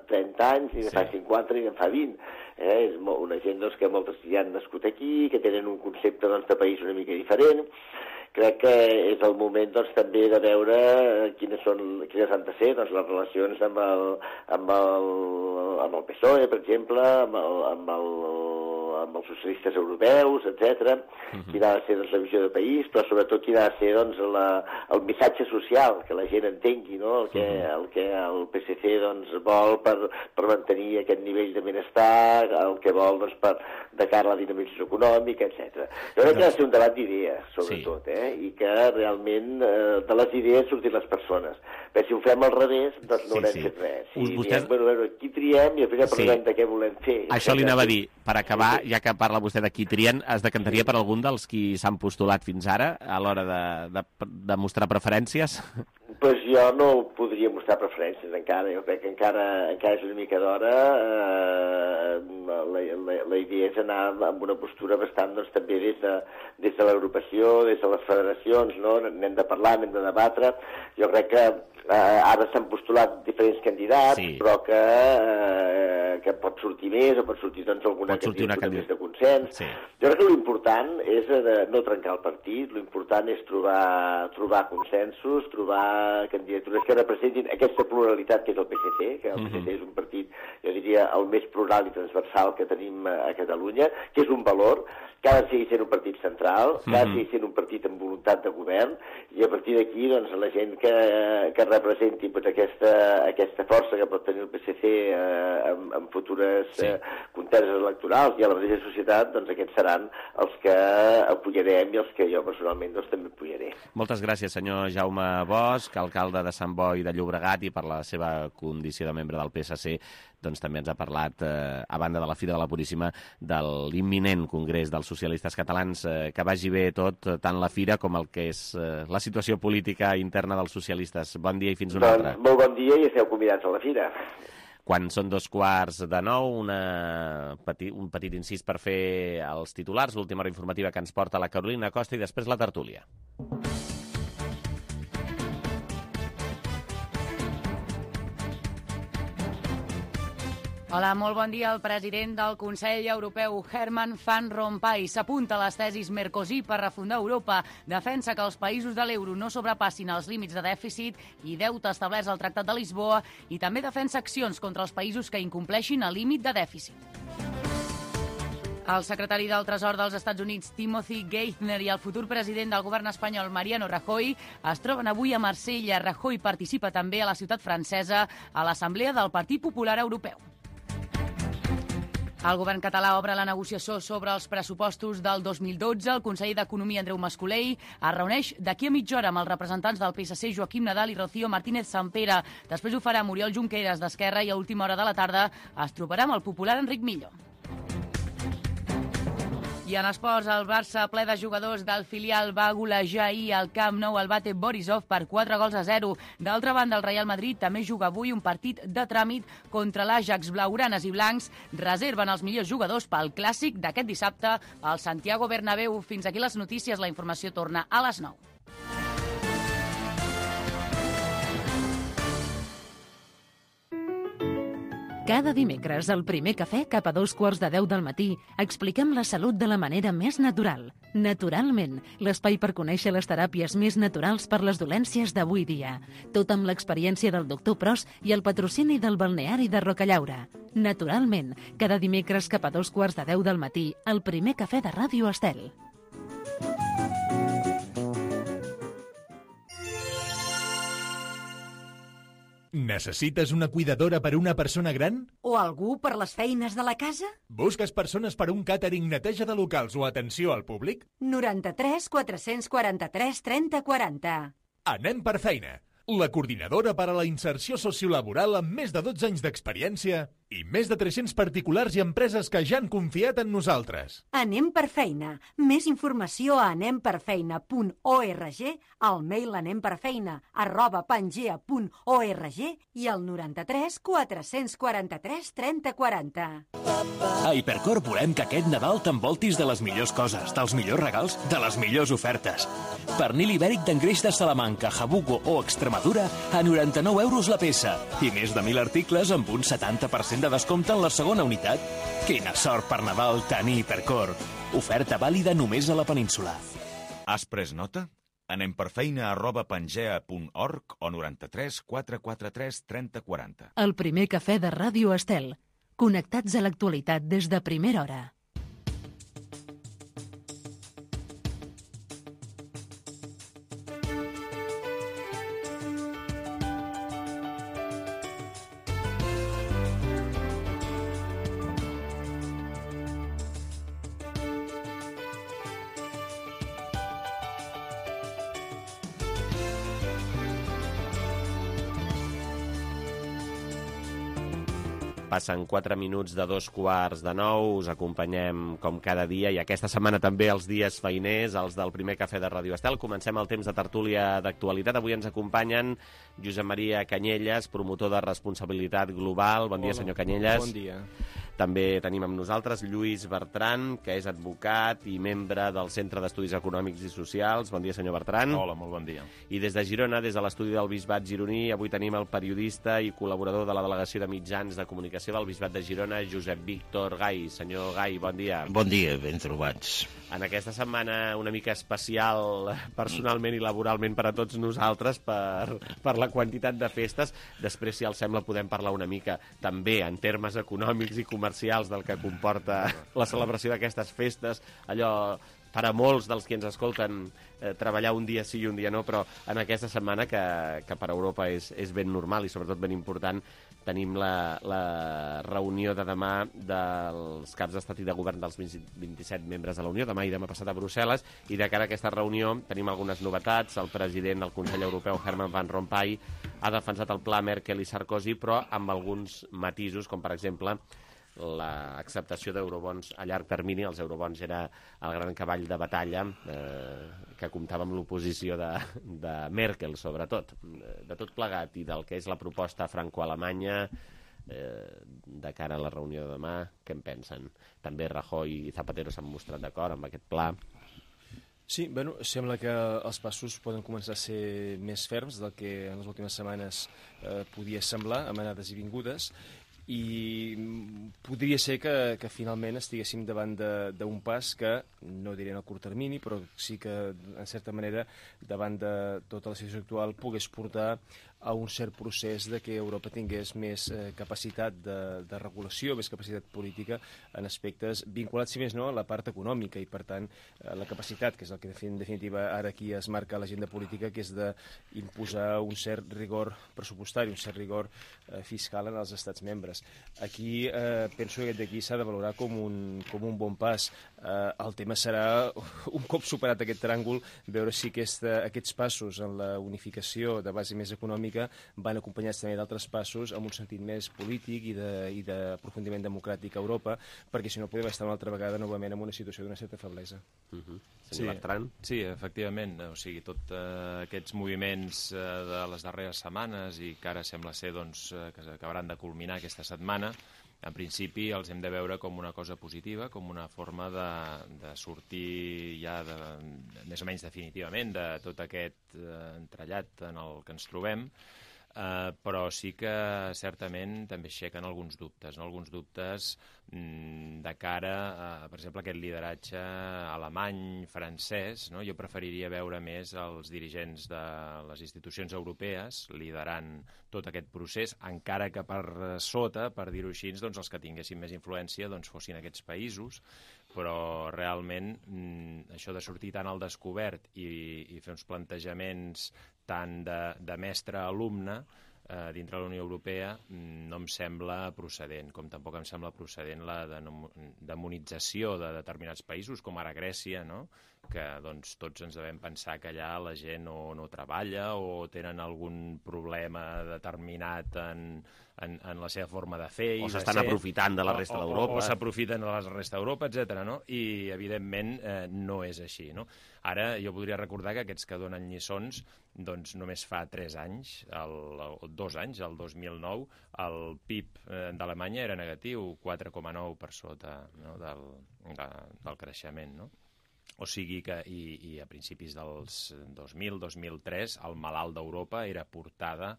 trenta anys, ni de fa cinquanta, ni de fa vint. Eh? És una gent doncs, que moltes ja han nascut aquí, que tenen un concepte doncs, de país una mica diferent. Crec que és el moment doncs, també de veure quines, són, quines han de ser doncs, les relacions amb el, amb, el, amb el P S O E, per exemple, amb, el, amb, el, amb els socialistes europeus, etcètera. Uh-huh. Quina ha de ser doncs, la visió del país, però sobretot quina ha de ser doncs, la, el missatge social, que la gent entengui, no? el, que, uh-huh. el que el P S C doncs, vol per, per mantenir aquest nivell de benestar, el que vol doncs, per, de cara a la dinamització econòmica, etcètera. Jo crec que ha de ser un debat d'idees, sobretot, sí. eh? i que realment eh, de les idees surtin les persones. Però si ho fem al revés, doncs no sí, haurem sí. fet res. Si Vostès... diem, bueno, bueno, aquí triem i després ja parlem sí. de què volem fer. Això li anava a dir, per acabar, ja que parla vostè de qui trien, es decantaria per algun dels qui s'han postulat fins ara a l'hora de, de, de mostrar preferències? Pues jo no podria mostrar preferències encara, jo crec que encara, encara és una mica d'hora. Eh, la, la, la idea és anar amb una postura bastant, doncs, també des de, des de l'agrupació, des de les federacions, no? N'hem de parlar, n'hem de debatre. Jo crec que eh, ara s'han postulat diferents candidats, sí. però que, eh, que pot sortir més o pot sortir, doncs, alguna candidatura més de consens. Sí. Jo crec que l'important és de no trencar el partit, l'important és trobar, trobar consensos, trobar candidatures que representin aquesta pluralitat que és el P S C, que el P S C és un partit, jo diria, el més plural i transversal que tenim a Catalunya, que és un valor, que ha de seguir sent un partit central, que ha de seguir sent un partit amb voluntat de govern, i a partir d'aquí, doncs, la gent que, que representi pues, aquesta, aquesta força que pot tenir el P S C eh, en, en futures sí. eh, conteses electorals i a la mateixa societat, doncs aquests seran els que apoyarem i els que jo personalment doncs, també apoyaré. Moltes gràcies, senyor Jaume Bosch, alcalde de Sant Boi de Llobregat, i per la seva condició de membre del P S C doncs també ens ha parlat, eh, a banda de la Fira de la Puríssima, de l'imminent Congrés dels Socialistes Catalans. Eh, que vagi bé tot, tant la Fira com el que és eh, la situació política interna dels socialistes. Bon dia i fins una doncs, altra. Molt bon dia i esteu convidats a la Fira. Quan són dos quarts de nou, una peti, un petit incís per fer els titulars, l'última hora informativa que ens porta la Carolina Costa i després la tertúlia. Hola, molt bon dia. El president del Consell Europeu, Herman Van Rompuy, s'apunta a les tesis Mercosur per refundar Europa. Defensa que els països de l'euro no sobrepassin els límits de dèficit i deute establerts al Tractat de Lisboa, i també defensa accions contra els països que incompleixin el límit de dèficit. El secretari del Tresor dels Estats Units, Timothy Geithner, i el futur president del govern espanyol, Mariano Rajoy, es troben avui a Marsella. Rajoy participa també a la ciutat francesa a l'Assemblea del Partit Popular Europeu. El govern català obre la negociació sobre els pressupostos del dos mil dotze. El conseller d'Economia, Andreu Mascolell, es reuneix d'aquí a mitja hora amb els representants del P S C, Joaquim Nadal i Rocío Martínez Sampere. Després ho farà Oriol Junqueras, d'Esquerra, i a última hora de la tarda es trobarà amb el popular Enric Millo. I en esports, el Barça, ple de jugadors del filial, va golejar ahir al Camp Nou el Bate Borisov per quatre gols a zero. D'altra banda, el Real Madrid també juga avui un partit de tràmit contra l'Ajax. Blaugranes i blancs reserven els millors jugadors pel clàssic d'aquest dissabte al Santiago Bernabéu. Fins aquí les notícies. La informació torna a les nou. Cada dimecres, al primer cafè, cap a dos quarts de deu del matí, expliquem la salut de la manera més natural. Naturalment, l'espai per conèixer les teràpies més naturals per les dolències d'avui dia. Tot amb l'experiència del doctor Pros i el patrocini del balneari de Rocallaura. Naturalment, cada dimecres cap a dos quarts de deu del matí, al primer cafè de Ràdio Estel. Necessites una cuidadora per a una persona gran? O algú per les feines de la casa? Busques persones per a un càtering, neteja de locals o atenció al públic? noranta-tres quatre-cents quaranta-tres trenta quaranta. Anem per feina. La coordinadora per a la inserció sociolaboral amb més de dotze anys d'experiència i més de tres-cents particulars i empreses que ja han confiat en nosaltres. Anem per feina. Més informació a anem per feina punt org, al mail anemperfeina arroba pangea punt org i al noranta-tres quatre-cents quaranta-tres trenta quaranta. A Hipercor volem que aquest Nadal t'envoltis de les millors coses, dels millors regals, de les millors ofertes. Pernil ibèric d'engreix de Salamanca, Jabugo o Extremadura a noranta-nou euros la peça i més de mil articles amb un setanta per cent de descompte en la segona unitat. Quina sort per Nadal tenir Hipercor. Oferta vàlida només a la península. Has pres nota? Anem per feina arroba pangea punt org o noranta-tres quatre quaranta-tres trenta quaranta. El primer cafè de Ràdio Estel. Connectats a l'actualitat des de primera hora. Passen quatre minuts de dos quarts de nou, us acompanyem com cada dia i aquesta setmana també els dies feiners, els del primer cafè de Ràdio Estel. Comencem el temps de tertúlia d'actualitat. Avui ens acompanyen Josep Maria Canyelles, promotor de responsabilitat global. Bon dia, Hola, senyor Canyelles. Bon dia. També tenim amb nosaltres Lluís Bertran, que és advocat i membre del Centre d'Estudis Econòmics i Socials. Bon dia, senyor Bertran. Hola, molt bon dia. I des de Girona, des de l'estudi del Bisbat gironí, avui tenim el periodista i col·laborador de la Delegació de Mitjans de Comunicació del Bisbat de Girona, Josep Víctor Gai. Senyor Gai, bon dia. Bon dia, ben trobats. En aquesta setmana una mica especial personalment i laboralment per a tots nosaltres per, per la quantitat de festes. Després, si els sembla, podem parlar una mica també en termes econòmics i comercials del que comporta la celebració d'aquestes festes. Allò, per a molts dels que ens escolten, eh, treballar un dia sí i un dia no, però en aquesta setmana que, que per a Europa és, és ben normal i sobretot ben important, tenim la, la reunió de demà dels caps d'estat i de govern dels vint-i-set membres de la Unió, demà i demà passat a Brussel·les, i de cara a aquesta reunió tenim algunes novetats. El president del Consell Europeu, Herman Van Rompuy, ha defensat el pla Merkel i Sarkozy, però amb alguns matisos, com per exemple l'acceptació d'eurobons a llarg termini. Els eurobons era el gran cavall de batalla eh, que comptava amb l'oposició de, de Merkel, sobretot. De tot plegat i del que és la proposta franco-alemanya eh, de cara a la reunió de demà, què en pensen? També Rajoy i Zapatero s'han mostrat d'acord amb aquest pla. Sí, bueno, sembla que els passos poden començar a ser més ferms del que en les últimes setmanes eh, podia semblar, amb anades i vingudes, i podria ser que, que finalment estiguéssim davant d'un pas que, no diré en el curt termini, però sí que, en certa manera, davant de tota la situació actual, pogués portar a un cert procés de que Europa tingués més eh, capacitat de, de regulació, més capacitat política en aspectes vinculats, si més no, a la part econòmica, i per tant eh, la capacitat, que és el que en definitiva ara aquí es marca l'agenda política, que és d'imposar un cert rigor pressupostari, un cert rigor eh, fiscal en els estats membres. Aquí eh, penso que d'aquí s'ha de valorar com un, com un bon pas. Eh, el tema serà, un cop superat aquest tràngol, veure si aquesta, aquests passos en la unificació de base més econòmica van acompanyats també d'altres passos amb un sentit més polític i d'aprofundiment de, democràtic a Europa, perquè si no podem estar una altra vegada novament en una situació d'una certa feblesa. Uh -huh. Sí, sí, efectivament. O sigui, tots eh, aquests moviments eh, de les darreres setmanes i que ara sembla ser doncs, eh, que s'acabaran de culminar aquesta setmana, en principi els hem de veure com una cosa positiva, com una forma de, de sortir ja de, més o menys definitivament de tot aquest eh, entrellat en el que ens trobem, eh, però sí que certament també aixequen alguns dubtes, no? Alguns dubtes mm, de cara a, per exemple, aquest lideratge alemany, francès, no? Jo preferiria veure més els dirigents de les institucions europees liderant tot aquest procés, encara que per sota, per dir-ho així, doncs els que tinguessin més influència doncs fossin aquests països, però realment mm, això de sortir tan al descobert i, i fer uns plantejaments tant de, de mestre-alumne eh, dintre la Unió Europea no em sembla procedent, com tampoc em sembla procedent la demonització de determinats països, com ara Grècia, no? Que doncs, tots ens devem pensar que allà la gent no, no treballa o tenen algun problema determinat en, en, en la seva forma de fer. O s'estan aprofitant de la resta d'Europa. O, o, o s'aprofiten de la resta d'Europa, etcètera, no? I, evidentment, eh, no és així, no? Ara, jo podria recordar que aquests que donen lliçons, doncs només fa tres anys, el, el, dos anys, el dos mil nou, el P I B d'Alemanya era negatiu, quatre coma nou per sota, no? del, de, del creixement, no? O sigui que, i, i a principis dels dos mil, dos mil tres, el malalt d'Europa era portada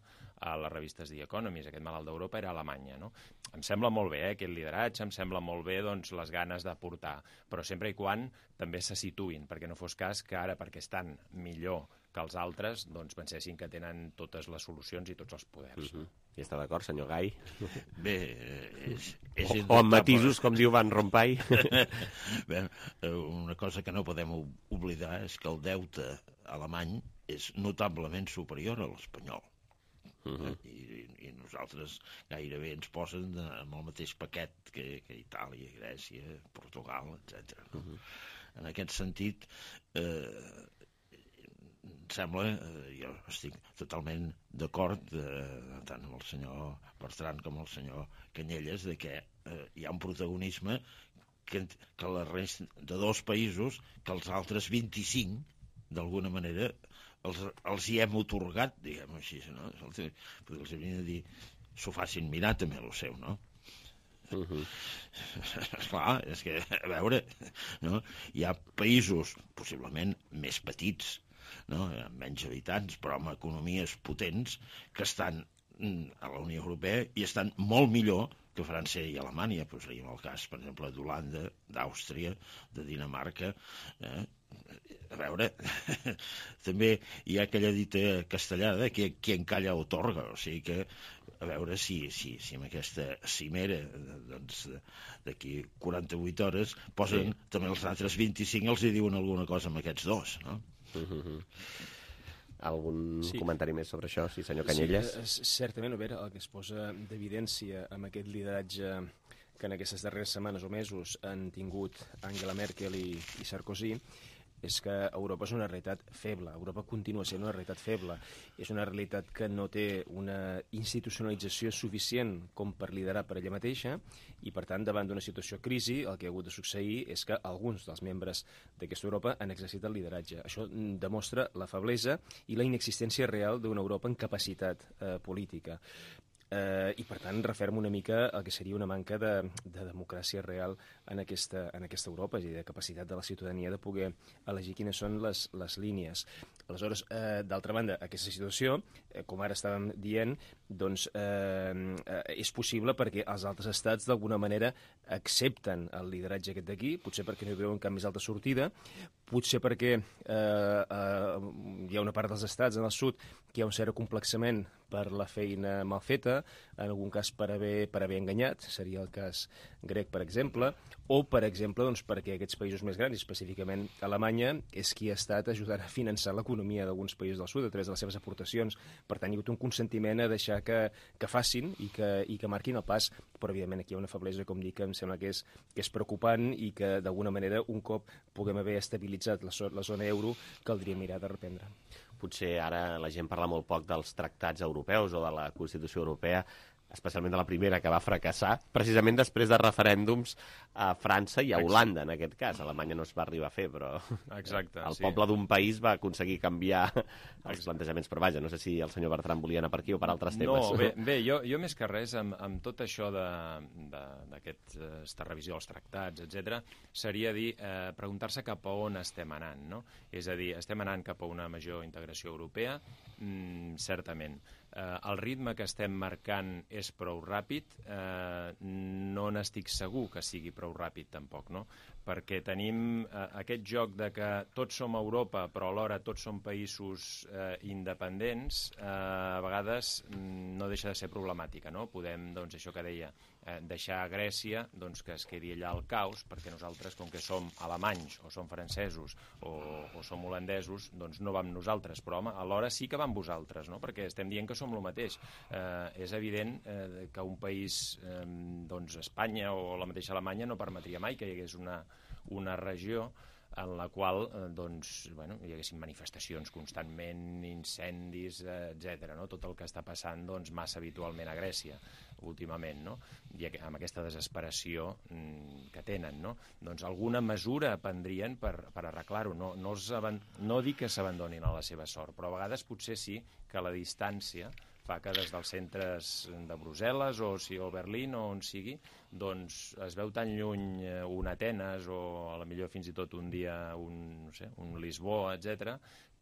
a les revistes The Economist. Aquest malalt d'Europa era Alemanya, no? Em sembla molt bé, eh, aquest lideratge, em sembla molt bé doncs, les ganes de portar, però sempre i quan també se situïn, perquè no fos cas que ara, perquè estan millor que els altres, doncs pensessin que tenen totes les solucions i tots els poders. Uh -huh. I està d'acord, senyor Gai? Bé, és, és o, o amb matisos, com diu Van Rompuy. Bé, una cosa que no podem oblidar és que el deute alemany és notablement superior a l'espanyol. Uh-huh. I, i nosaltres gairebé ens posen amb el mateix paquet que, que Itàlia, Grècia, Portugal, etcètera. No? Uh-huh. En aquest sentit, eh, sembla, eh, jo estic totalment d'acord eh, tant amb el senyor Bertran com el senyor Canyelles de que eh, hi ha un protagonisme que, que la resta de dos països que els altres vint-i-cinc d'alguna manera els, els hi hem otorgat, diguem així, no? Els, els hauríem de dir s'ho facin mirar també el seu, no? Uh -huh. Esclar, és que, a veure, no? Hi ha països possiblement més petits, no? Amb menys habitants, però amb economies potents, que estan a la Unió Europea i estan molt millor que França i Alemanya. Posaríem el cas, per exemple, d'Holanda, d'Àustria, de Dinamarca. Eh? A veure, també hi ha aquella dita castellana que qui encalla otorga, o sigui que a veure si, si, si amb aquesta cimera doncs, d'aquí quaranta-vuit hores posen sí. també els altres vint-i-cinc, els hi diuen alguna cosa amb aquests dos, no? Uh-huh. Algun sí. comentari més sobre això, sí, senyor Canyelles? Sí, certament, a veure, el que es posa d'evidència amb aquest lideratge que en aquestes darreres setmanes o mesos han tingut Angela Merkel i, i Sarkozy és que Europa és una realitat feble. Europa continua sent una realitat feble. És una realitat que no té una institucionalització suficient com per liderar per ella mateixa i, per tant, davant d'una situació de crisi, el que ha hagut de succeir és que alguns dels membres d'aquesta Europa han exercit el lideratge. Això demostra la feblesa i la inexistència real d'una Europa en capacitat eh, política. Eh, I, per tant, referma una mica el que seria una manca de, de democràcia real en aquesta, en aquesta Europa, és a dir, de capacitat de la ciutadania de poder elegir quines són les, les línies. Aleshores, eh, d'altra banda, aquesta situació, eh, com ara estàvem dient, doncs eh, eh, és possible perquè els altres estats, d'alguna manera, accepten el lideratge aquest d'aquí, potser perquè no hi veuen cap més alta sortida, potser perquè eh, eh, hi ha una part dels estats en el sud que hi ha un cert complexament per la feina mal feta, en algun cas per haver, per haver enganyat, seria el cas grec, per exemple, o, per exemple, doncs, perquè aquests països més grans, específicament Alemanya, és qui ha estat ajudant a finançar l'economia d'alguns països del sud a través de les seves aportacions. Per tant, hi ha hagut un consentiment a deixar que, que facin i que, i que marquin el pas, però, evidentment, aquí hi ha una feblesa, com dic, que em sembla que és, que és preocupant i que, d'alguna manera, un cop puguem haver estabilitzat la, la zona euro, caldria mirar de reprendre. Potser ara la gent parla molt poc dels tractats europeus o de la Constitució Europea, especialment de la primera, que va fracassar, precisament després de referèndums a França i a Holanda, en aquest cas. A Alemanya no es va arribar a fer, però Exacte, el sí. poble d'un país va aconseguir canviar els plantejaments. Però vaja, no sé si el senyor Bertran volia anar per aquí o per altres temes. No, bé, bé jo, jo més que res, amb, amb tot això d'aquesta revisió dels tractats, etcètera, seria dir, eh, preguntar-se cap a on estem anant, no? És a dir, estem anant cap a una major integració europea? Mm, certament. Eh, el ritme que estem marcant és prou ràpid, eh, no n'estic segur que sigui prou ràpid tampoc, no? Perquè tenim eh, aquest joc de que tots som Europa però alhora tots som països eh, independents, eh, a vegades no deixa de ser problemàtica, no? Podem, doncs, això que deia, eh, deixar a Grècia doncs, que es quedi allà al caos, perquè nosaltres, com que som alemanys o som francesos o, o som holandesos, doncs no vam nosaltres, però home, alhora sí que vam vosaltres, no? Perquè estem dient que som el mateix. Eh, és evident eh, que un país, eh, doncs Espanya o la mateixa Alemanya, no permetria mai que hi hagués una, una regió en la qual eh, doncs, bueno, hi haguessin manifestacions constantment, incendis, eh, etcètera. No? Tot el que està passant doncs, massa habitualment a Grècia últimament, no? I amb aquesta desesperació mm, que tenen, no? Doncs alguna mesura prendrien per, per arreglar-ho. No, no, no dic que s'abandonin a la seva sort, però a vegades potser sí que la distància fa que des dels centres de Brussel·les o, si, o Berlín o on sigui, doncs es veu tan lluny un Atenes o a la millor fins i tot un dia un, no sé, un Lisboa, etcètera,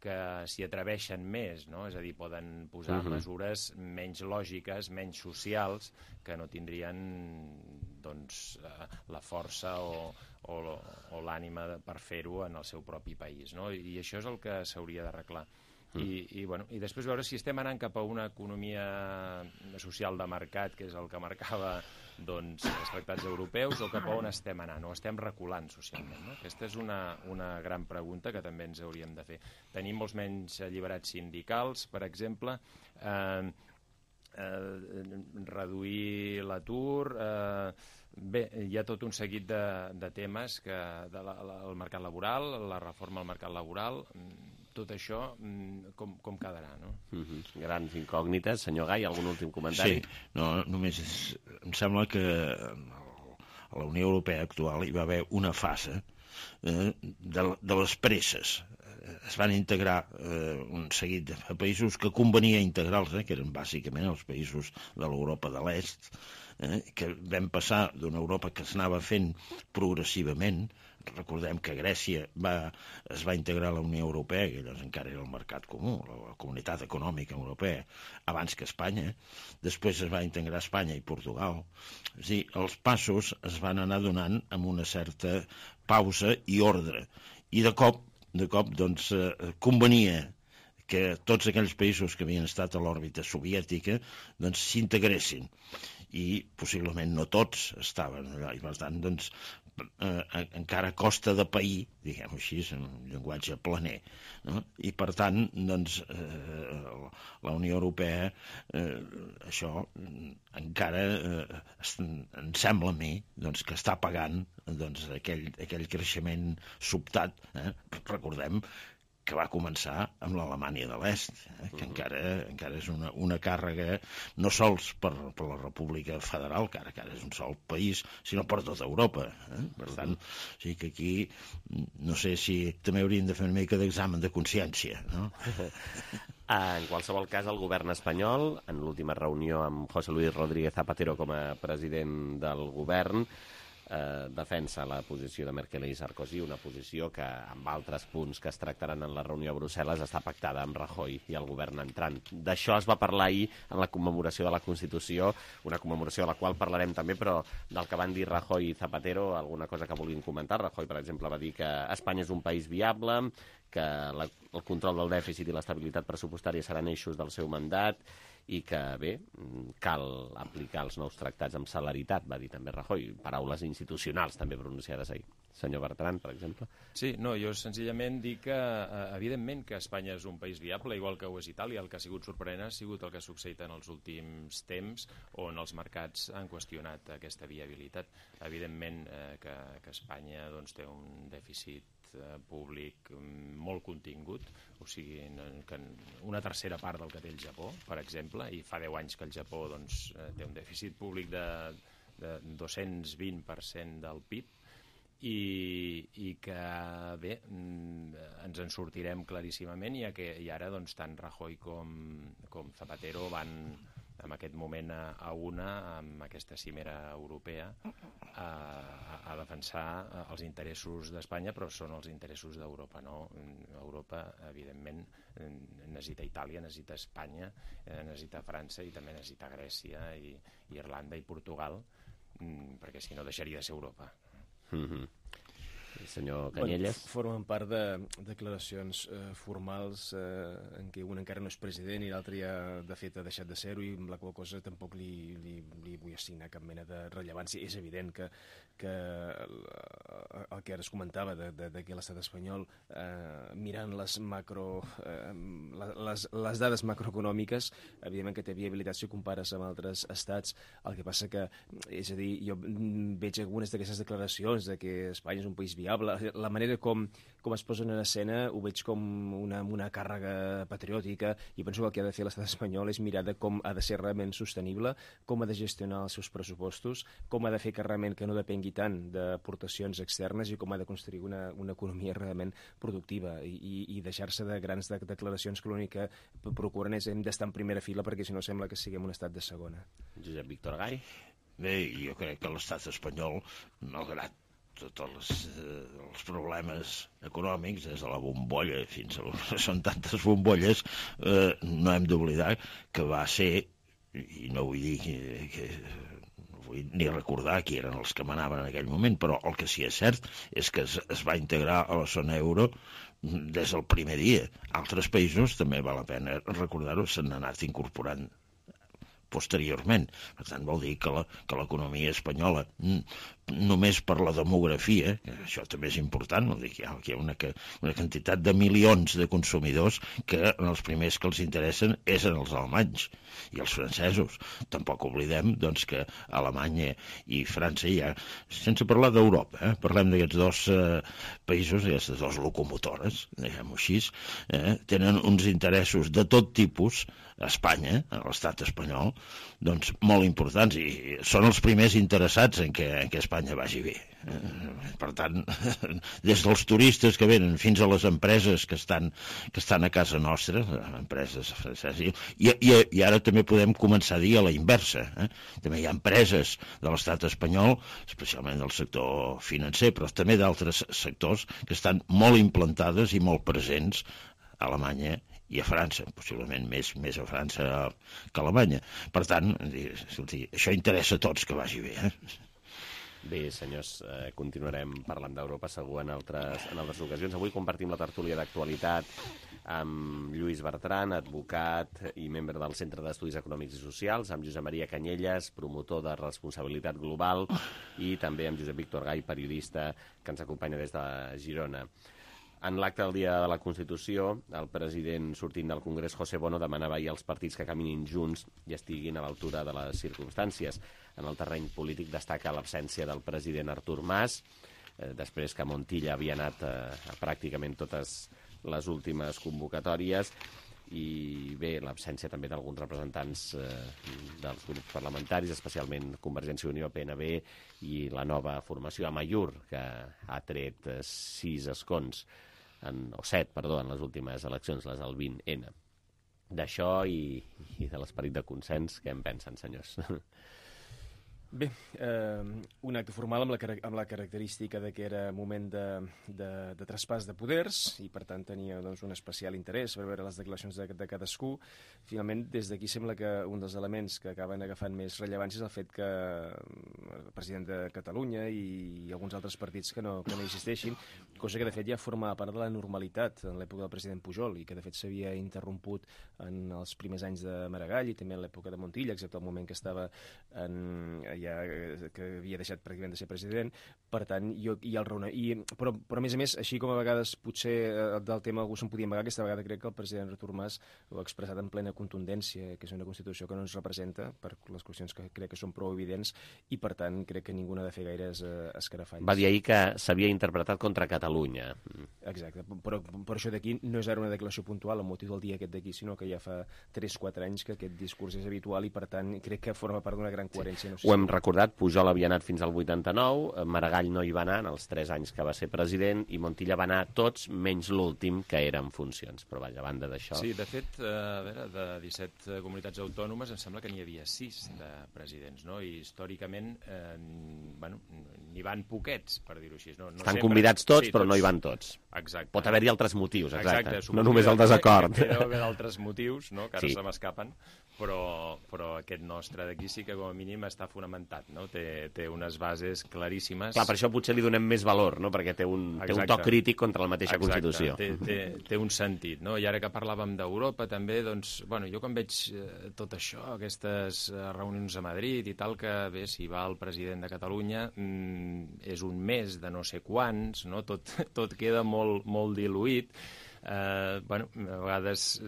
que s'hi atreveixen més, no? És a dir, poden posar uh-huh. mesures menys lògiques, menys socials, que no tindrien doncs, la força o, o, o l'ànima per fer-ho en el seu propi país, no? I això és el que s'hauria d'arreglar. I, i, bueno, i després veure si estem anant cap a una economia social de mercat, que és el que marcava doncs, els tractats europeus, o cap a on estem anant, o estem reculant socialment, no? Aquesta és una, una gran pregunta que també ens hauríem de fer. Tenim molts menys alliberats sindicals, per exemple, eh, eh, reduir l'atur, eh, bé, hi ha tot un seguit de, de temes que de la, la, el mercat laboral, la reforma al mercat laboral, tot això com, com quedarà, no? Mm-hmm. Grans incògnites. Senyor Gai, algun últim comentari? Sí, no, només és, em sembla que a la Unió Europea actual hi va haver una fase eh, de, de les presses. Es van integrar eh, un seguit de països que convenia integrar-los, eh, que eren bàsicament els països de l'Europa de l'Est, eh, que vam passar d'una Europa que s'anava fent progressivament. Recordem que Grècia va, es va integrar a la Unió Europea, que llavors encara era el mercat comú, la Comunitat Econòmica Europea, abans que Espanya. Després es va integrar Espanya i Portugal. És a dir, els passos es van anar donant amb una certa pausa i ordre. I de cop, de cop, doncs, eh, convenia que tots aquells països que havien estat a l'òrbita soviètica doncs s'integressin. I possiblement no tots estaven allà, i per tant, doncs, eh, encara costa de pair, diguem-ho així, en un llenguatge planer, no? I per tant, doncs, eh, la Unió Europea, eh, això encara eh, em sembla a mi doncs, que està pagant doncs, aquell, aquell creixement sobtat, eh? Recordem que va començar amb l'Alemanya de l'Est, eh, que uh-huh. encara, encara és una, una càrrega no sols per, per la República Federal, que ara, que ara és un sol país, sinó per tota Europa. Eh? Per tant, o sigui que aquí no sé si també hauríem de fer una mica d'examen de consciència, no? En qualsevol cas, el govern espanyol, en l'última reunió amb José Luis Rodríguez Zapatero com a president del govern, Eh, defensa la posició de Merkel i Sarkozy, una posició que amb altres punts que es tractaran en la reunió a Brussel·les està pactada amb Rajoy i el govern entrant. D'això es va parlar ahir en la commemoració de la Constitució, una commemoració de la qual parlarem també, però del que van dir Rajoy i Zapatero, alguna cosa que volien comentar. Rajoy, per exemple, va dir que Espanya és un país viable, que la, el control del dèficit i l'estabilitat pressupostària seran eixos del seu mandat, i que, bé, cal aplicar els nous tractats amb celeritat, va dir també Rajoy. Paraules institucionals també pronunciades ahir. Senyor Bertran, per exemple. Sí, no, jo senzillament dic que, evidentment, que Espanya és un país viable, igual que ho és Itàlia. El que ha sigut sorprenent ha sigut el que ha succeït en els últims temps, on els mercats han qüestionat aquesta viabilitat. Evidentment eh, que, que Espanya doncs, té un dèficit públic molt contingut, o sigui, que una tercera part del que té el Japó, per exemple, i fa deu anys que el Japó doncs, té un dèficit públic de, de dos-cents vint per cent del P I B, i, i que, bé, ens en sortirem claríssimament, i, que, i ara doncs, tant Rajoy com, com Zapatero van en aquest moment a, a una, amb aquesta cimera europea, a, a, a defensar els interessos d'Espanya, però són els interessos d'Europa, no? Europa, evidentment, necessita Itàlia, necessita Espanya, necessita França i també necessita Grècia i, i Irlanda i Portugal, perquè si no deixaria de ser Europa. Mm-hmm. Senyor Canyelles. Bueno, formen part de declaracions eh, formals eh, en què un encara no és president i l'altre ja de fet ha deixat de ser-ho, i amb la qual cosa tampoc li, li, li vull assignar cap mena de rellevància. És evident que, que el, el que ara es comentava de, de, de que l'estat espanyol, eh, mirant les macro eh, les, les dades macroeconòmiques, evidentment que té viabilitat si ho compares amb altres estats. El que passa que, és a dir, jo veig algunes d'aquestes declaracions de que Espanya és un país viable. La manera com, com es posen en escena ho veig com una, una càrrega patriòtica, i penso que el que ha de fer l'estat espanyol és mirar de com ha de ser realment sostenible, com ha de gestionar els seus pressupostos, com ha de fer que realment que no depengui tant d'aportacions externes, i com ha de construir una, una economia realment productiva, i, i deixar-se de grans de, declaracions que l'únic que procuren és hem d'estar en primera fila, perquè si no sembla que siguem un estat de segona. Josep Víctor Gai. Bé, jo crec que l'estat espanyol, malgrat tots els, eh, els problemes econòmics, des de la bombolla fins a... són tantes bombolles, eh, no hem d'oblidar que va ser, i no vull dir que, que no vull ni recordar qui eren els que manaven en aquell moment, però el que sí és cert és que es, es va integrar a la zona euro des del primer dia. Altres països, també val la pena recordar-ho, s'han anat incorporant posteriorment. Per tant, vol dir que l'economia espanyola, només per la demografia, que això també és important, no dic, hi ha, hi ha una, una quantitat de milions de consumidors que els primers que els interessen és en els alemanys i els francesos. Tampoc oblidem doncs, que Alemanya i França hi ha, sense parlar d'Europa, eh? Parlem d'aquests dos eh, països, aquestes dues locomotores, diguem-ho així, eh? tenen uns interessos de tot tipus a Espanya, a l'estat espanyol, doncs molt importants, i són els primers interessats en que, en que Espanya vagi bé. Per tant, des dels turistes que venen fins a les empreses que estan, que estan a casa nostra, empreses franceses, i, i, i ara també podem començar a dir a la inversa. Eh? També hi ha empreses de l'estat espanyol, especialment del sector financer, però també d'altres sectors que estan molt implantades i molt presents a Alemanya i a França, possiblement més, més a França que a Alemanya. Per tant, això interessa a tots que vagi bé. Eh? Bé, senyors, eh, continuarem parlant d'Europa segur en altres, en altres ocasions. Avui compartim la tertúlia d'actualitat amb Lluís Bertran, advocat i membre del Centre d'Estudis Econòmics i Socials, amb Josep Maria Canyelles, promotor de responsabilitat global, i també amb Josep Víctor Gai, periodista, que ens acompanya des de Girona. En l'acte del Dia de la Constitució, el president sortint del Congrés, José Bono, demanava ahir als partits que caminin junts i estiguin a l'altura de les circumstàncies. En el terreny polític destaca l'absència del president Artur Mas, eh, després que Montilla havia anat eh, a pràcticament totes les últimes convocatòries, i bé, l'absència també d'alguns representants eh, dels grups parlamentaris, especialment Convergència i Unió, P N B i la nova formació Amaiur, que ha tret eh, sis escons, en, o set, perdó, en les últimes eleccions, les del vint ena. D'això i, i de l'esperit de consens, què en pensen, senyors? Bé, eh, un acte formal amb la, amb la característica de que era moment de, de, de traspàs de poders i per tant tenia doncs, un especial interès per veure les declaracions de, de cadascú. Finalment, des d'aquí sembla que un dels elements que acaben agafant més rellevància és el fet que el president de Catalunya i, i alguns altres partits que no, que no existeixin, cosa que de fet ja formava part de la normalitat en l'època del president Pujol i que de fet s'havia interromput en els primers anys de Maragall i també en l'època de Montilla, excepte el moment que estava en ja que havia deixat pràcticament de ser president, per tant, jo, i el raona, i, però, però a més a més, així com a vegades potser del tema algú se'n podia amagar, aquesta vegada crec que el president Artur Mas ho ha expressat en plena contundència, que és una Constitució que no ens representa per les qüestions que crec que són prou evidents i per tant crec que ningú ha de fer gaires eh, escarafalls. Va dir ahir que s'havia interpretat contra Catalunya. Exacte, però per això d'aquí no és ara una declaració puntual amb motiu del dia aquest d'aquí, sinó que ja fa tres quatre anys que aquest discurs és habitual i per tant crec que forma part d'una gran coherència. No sé Ho hem recordat, Pujol havia anat fins al vuitanta-nou, Maragall no hi va anar en els tres anys que va ser president i Montilla va anar tots menys l'últim, que era en funcions. Però vaja, a banda d'això... Sí, de fet, a veure, de disset comunitats autònomes em sembla que n'hi havia sis de presidents, no? I històricament eh, bueno, n'hi van poquets, per dir-ho així. No, no Estan sempre... convidats tots, sí, però tots... no hi van tots. Exacte. Pot haver-hi altres motius, exacte. exacte no només el desacord. Que deu haver altres motius, no? Que ara sí. se m'escapen, però, però aquest nostre d'aquí sí que com a mínim està fonamentat, no? Té, té unes bases claríssimes. Clar, per això potser li donem més valor, no? Perquè té un, té un to crític contra la mateixa Exacte. Constitució. Té, té, té un sentit, no? I ara que parlàvem d'Europa també, doncs, bueno, jo quan veig eh, tot això, aquestes eh, reunions a Madrid i tal, que bé, si va el president de Catalunya, mm, és un mes de no sé quants, no? Tot, tot queda molt, molt diluït. Eh, bueno, a vegades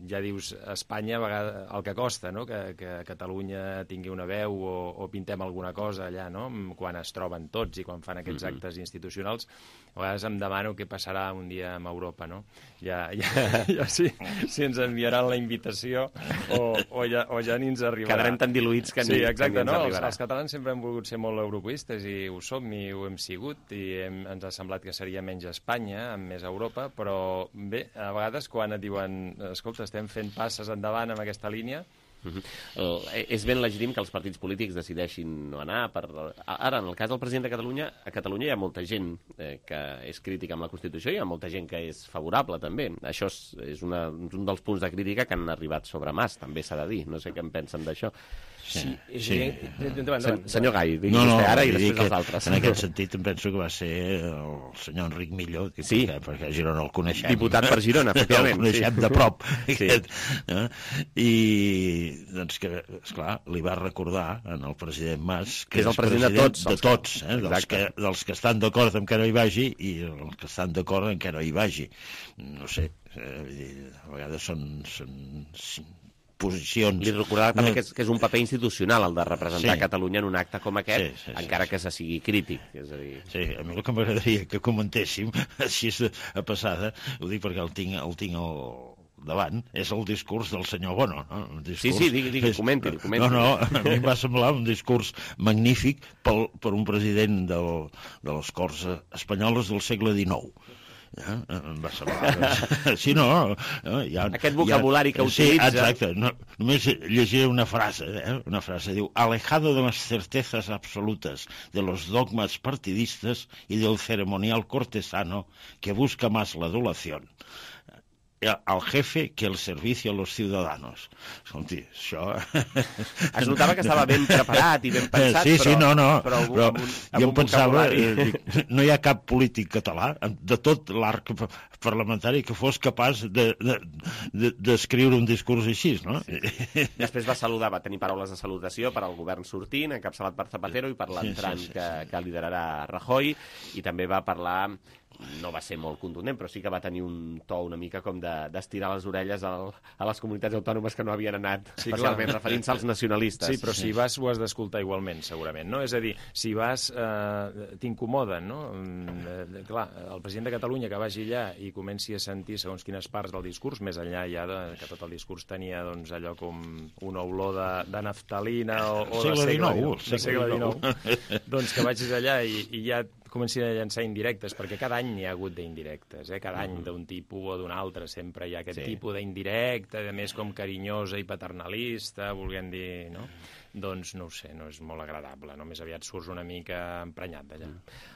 ja dius Espanya a vegades, el que costa, no? que, que Catalunya tingui una veu o, o pintem alguna cosa allà, no? Quan es troben tots i quan fan aquests mm-hmm. actes institucionals, a vegades em demano què passarà un dia amb Europa, no? Ja, ja, ja sí, si ens enviaran la invitació o, o, ja, o ja ni ens arribarà. Quedarem tan diluïts que ni, sí, exacte, que ni ens no? arribarà. Els, els catalans sempre hem volgut ser molt europeistes i ho som i ho hem sigut i hem, ens ha semblat que seria menys Espanya, amb més Europa, però bé, a vegades quan et diuen escolta, estem fent passes endavant amb aquesta línia. Uh-huh. el, és ben legítim que els partits polítics decideixin no anar per... Ara, en el cas del president de Catalunya, a Catalunya hi ha molta gent eh, que és crítica amb la Constitució i hi ha molta gent que és favorable també. Això és, és una, un dels punts de crítica que han arribat sobre Mas, també s'ha de dir. No sé què en pensen d'això. Sí, és sí. Endavant, endavant. Senyor Gai, digui no, no, vostè ara i vull dir després els que altres. En aquest sentit em penso que va ser el senyor Enric Milló, Sí. perquè, perquè a Girona el coneixem. Diputat per Girona, efectivament. El coneixem sí. de prop. Sí. Aquest, eh? I, doncs, que, esclar, li va recordar en el president Mas que és el president de tots. De tots, eh? dels, que, dels que estan d'acord amb que no hi vagi i els que estan d'acord amb que no hi vagi. No sé, eh, vull dir, a vegades són... són posicions... Li recordava també que és, que és un paper institucional el de representar Sí. Catalunya en un acte com aquest, Sí, sí, sí, encara sí. que se sigui crític. És a dir... Sí, a mi el que m'agradaria que comentéssim, així a passada, ho dic perquè el tinc, el tinc al davant, és el discurs del senyor Bono. No? Un discurs... Sí, sí, digui, digui, comenti, comenti. No, no, a mi em va semblar un discurs magnífic pel, per un president del, de les Corts Espanyoles del segle dinou. Ja, em va semblar... Sí, no, no hi ha, aquest vocabulari que sí, utilitza... Exacte, no, només llegiré una frase, eh? una frase, diu: alejado de las certezas absolutas, de los dogmas partidistas y del ceremonial cortesano que busca más la adulación al jefe que el servicio a los ciudadanos. Escolti, això... Es notava que estava ben preparat i ben pensat, sí, sí, però... no, no, però, però amb un, amb jo un pensava, eh, dic, no hi ha cap polític català de tot l'arc parlamentari que fos capaç d'escriure de, de, de un discurs així, no? Sí. Després va saludar, va tenir paraules de salutació per al govern sortint, encapçalat per Zapatero, i per l'entrant sí, sí, sí, que, que liderarà Rajoy, i també va parlar... no va ser molt contundent, però sí que va tenir un to una mica com d'estirar de, les orelles al, a les comunitats autònomes que no havien anat, sí, especialment referint-se als nacionalistes. Sí, però si vas ho has d'escoltar igualment, segurament, no? És a dir, si vas, eh, t'incomoden, no? Eh, clar, el president de Catalunya que vagi allà i comenci a sentir segons quines parts del discurs, més enllà ja de, que tot el discurs tenia doncs, allò com una olor de, de naftalina o, o de segle dinou, de segle dinou, doncs que vagis allà i, i ja comencin a llançar indirectes, perquè cada any hi ha hagut d'indirectes, eh? Cada any d'un tipus o d'un altre sempre hi ha aquest sí. tipus d'indirecte, a més com carinyosa i paternalista, volguem dir, no? Doncs no ho sé, no és molt agradable, no? Més aviat surts una mica emprenyat d'allà.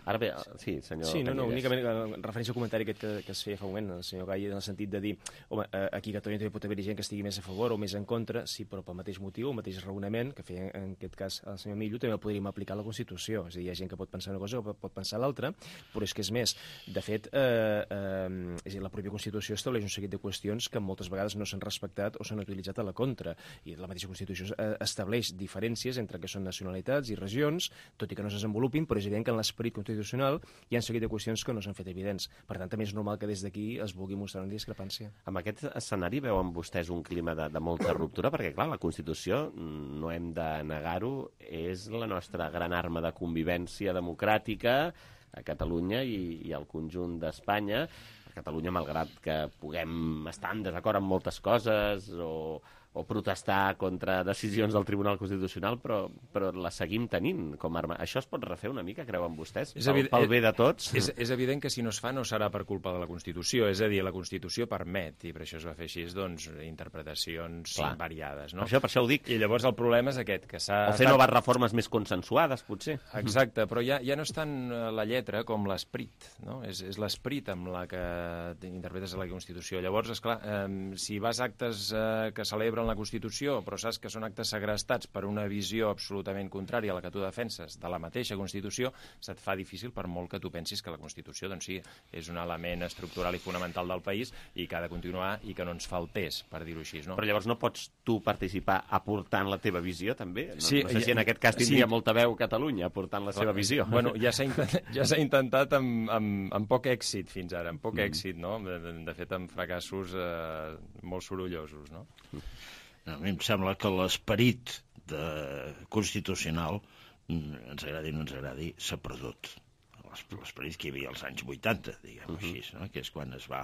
Ara bé, sí, senyor... Sí, no, no, únicament en referència al comentari aquest que, que es feia fa un moment, el senyor Gai, en el sentit de dir, home, aquí a Catalunya també pot haver gent que estigui més a favor o més en contra, sí, però pel mateix motiu, el mateix raonament que feia en aquest cas el senyor Millo, també el podríem aplicar a la Constitució. És a dir, hi ha gent que pot pensar una cosa o pot pensar l'altra, però és que és més, de fet, eh, eh, és a dir, la pròpia Constitució estableix un seguit de qüestions que moltes vegades no s'han respectat o s'han utilitzat a la contra, i la mateixa Constitució estableix diferències entre que són nacionalitats i regions, tot i que no es desenvolupin, però és evident que en l'esperit constitucional hi ha un seguit de qüestions que no s'han fet evidents. Per tant, també és normal que des d'aquí es vulgui mostrar una discrepància. Amb aquest escenari veuen vostès un clima de, de molta ruptura? Perquè, clar, la Constitució, no hem de negar-ho, és la nostra gran arma de convivència democràtica a Catalunya i, i al conjunt d'Espanya. A Catalunya, malgrat que puguem estar en desacord amb moltes coses o... o protestar contra decisions del Tribunal Constitucional, però, però la seguim tenint com a arma. Això es pot refer una mica, creuen vostès? És pel, pel bé de tots? És, és evident que si no es fa no serà per culpa de la Constitució, és a dir, la Constitució permet, i per això es va fer així, doncs, interpretacions Clar. variades. No? Per això, per això ho dic. I llavors el problema és aquest, que s'ha... O fer noves reformes més consensuades, potser. Exacte, però ja, ja no és tant la lletra com l'esperit, no? És, és l'esperit amb la que interpretes la Constitució. Llavors, esclar, eh, si vas a actes eh, que celebren la Constitució, però saps que són actes segrestats per una visió absolutament contrària a la que tu defenses de la mateixa Constitució, se't fa difícil per molt que tu pensis que la Constitució, doncs sí, és un element estructural i fonamental del país i que ha de continuar i que no ens faltés, per dir-ho així, no? Però llavors no pots tu participar aportant la teva visió, també? No, sí, no sé si en aquest cas tindria sí. molta veu Catalunya aportant la seva visió. Bueno, ja s'ha intentat, ja s'ha intentat amb, amb, amb poc èxit fins ara, amb poc mm. èxit, no? De, de, de fet, amb fracassos eh, molt sorollosos, no? A mi em sembla que l'esperit constitucional, ens agradi o no ens agradi, s'ha perdut. L'esperit que hi havia als anys vuitanta, diguem-ho uh-huh. així, no? Que és quan es va,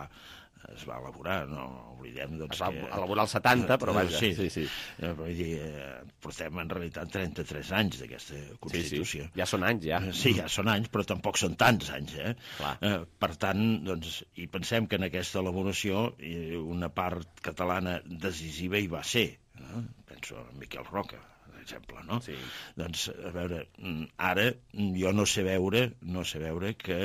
es va elaborar, no oblidem... Doncs, es va que... elaborar al setanta, però vaja. Sí, sí. sí. Eh, vull dir, eh, portem en realitat trenta-tres anys d'aquesta Constitució. Sí, sí. Ja són anys, ja. Sí, ja són anys, però tampoc són tants anys, eh? eh per tant, doncs, i pensem que en aquesta elaboració una part catalana decisiva hi va ser, no? Penso en Miquel Roca, per exemple, no? Sí. Doncs, a veure, ara jo no sé veure, no sé veure que...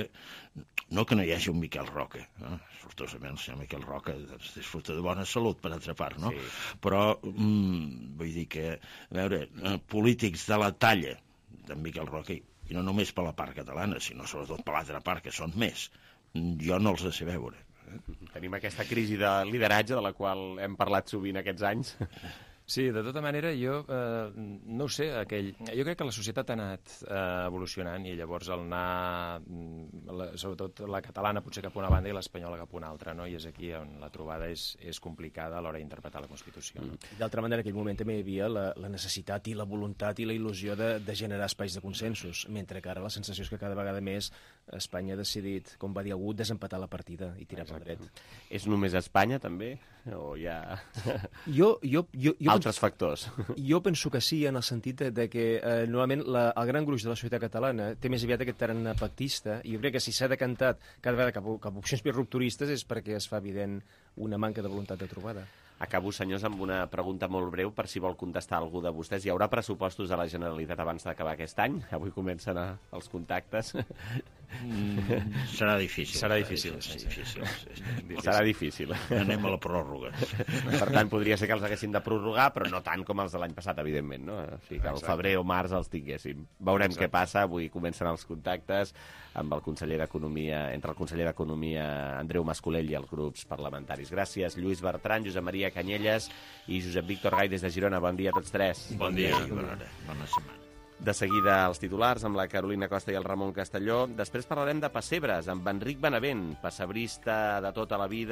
No que no hi hagi un Miquel Roca, no? Sortosament el senyor Miquel Roca doncs, disfruta de bona salut, per altra part, no? Sí. Però, mm, vull dir que, a veure, polítics de la talla d'en Miquel Roca, i no només per la part catalana, sinó sobretot per l'altra part, que són més, jo no els sé veure. Tenim aquesta crisi de lideratge de la qual hem parlat sovint aquests anys. Sí, de tota manera, jo eh, no ho sé, aquell... jo crec que la societat ha anat eh, evolucionant i llavors el anar, la, sobretot la catalana potser cap a una banda i l'espanyola cap a una altra, no? I és aquí on la trobada és, és complicada a l'hora d'interpretar la Constitució. No? Mm. D'altra banda, en aquell moment també hi havia la, la necessitat i la voluntat i la il·lusió de, de generar espais de consensos, mentre que ara la sensació és que cada vegada més Espanya ha decidit, com va dir algú, desempatar la partida i tirar pel dret. És només Espanya, també? O hi ha jo, jo, jo, jo altres penso, factors? Jo penso que sí, en el sentit de, de que eh, normalment la, el gran gruix de la societat catalana té més aviat aquest tarannà pactista, i jo crec que si s'ha decantat cada vegada cap, cap a opcions més rupturistes és perquè es fa evident una manca de voluntat de trobada. Acabo, senyors, amb una pregunta molt breu per si vol contestar algú de vostès. Hi haurà pressupostos de la Generalitat abans d'acabar aquest any? Avui comencen a, els contactes. Mm, serà difícil. Serà difícil. Serà difícil. Sí, sí. Serà difícil. Anem a la pròrroga. Per tant, podria ser que els haguessin de prorrogar, però no tant com els de l'any passat, evidentment, no? O sigui, que al febrer o març els tinguéssim. Veurem Exacte. Què passa. Avui comencen els contactes amb el conseller d'Economia, entre el conseller d'Economia Andreu Mascolell i els grups parlamentaris. Gràcies, Lluís Bertran, Josep Maria Canyelles i Josep Víctor Gai des de Girona. Bon dia a tots tres. Bon dia. Bona, bona setmana. De seguida els titulars amb la Carolina Costa i el Ramon Castelló. Després parlarem de pessebres amb Enric Benavent, pessebrista de tota la vida.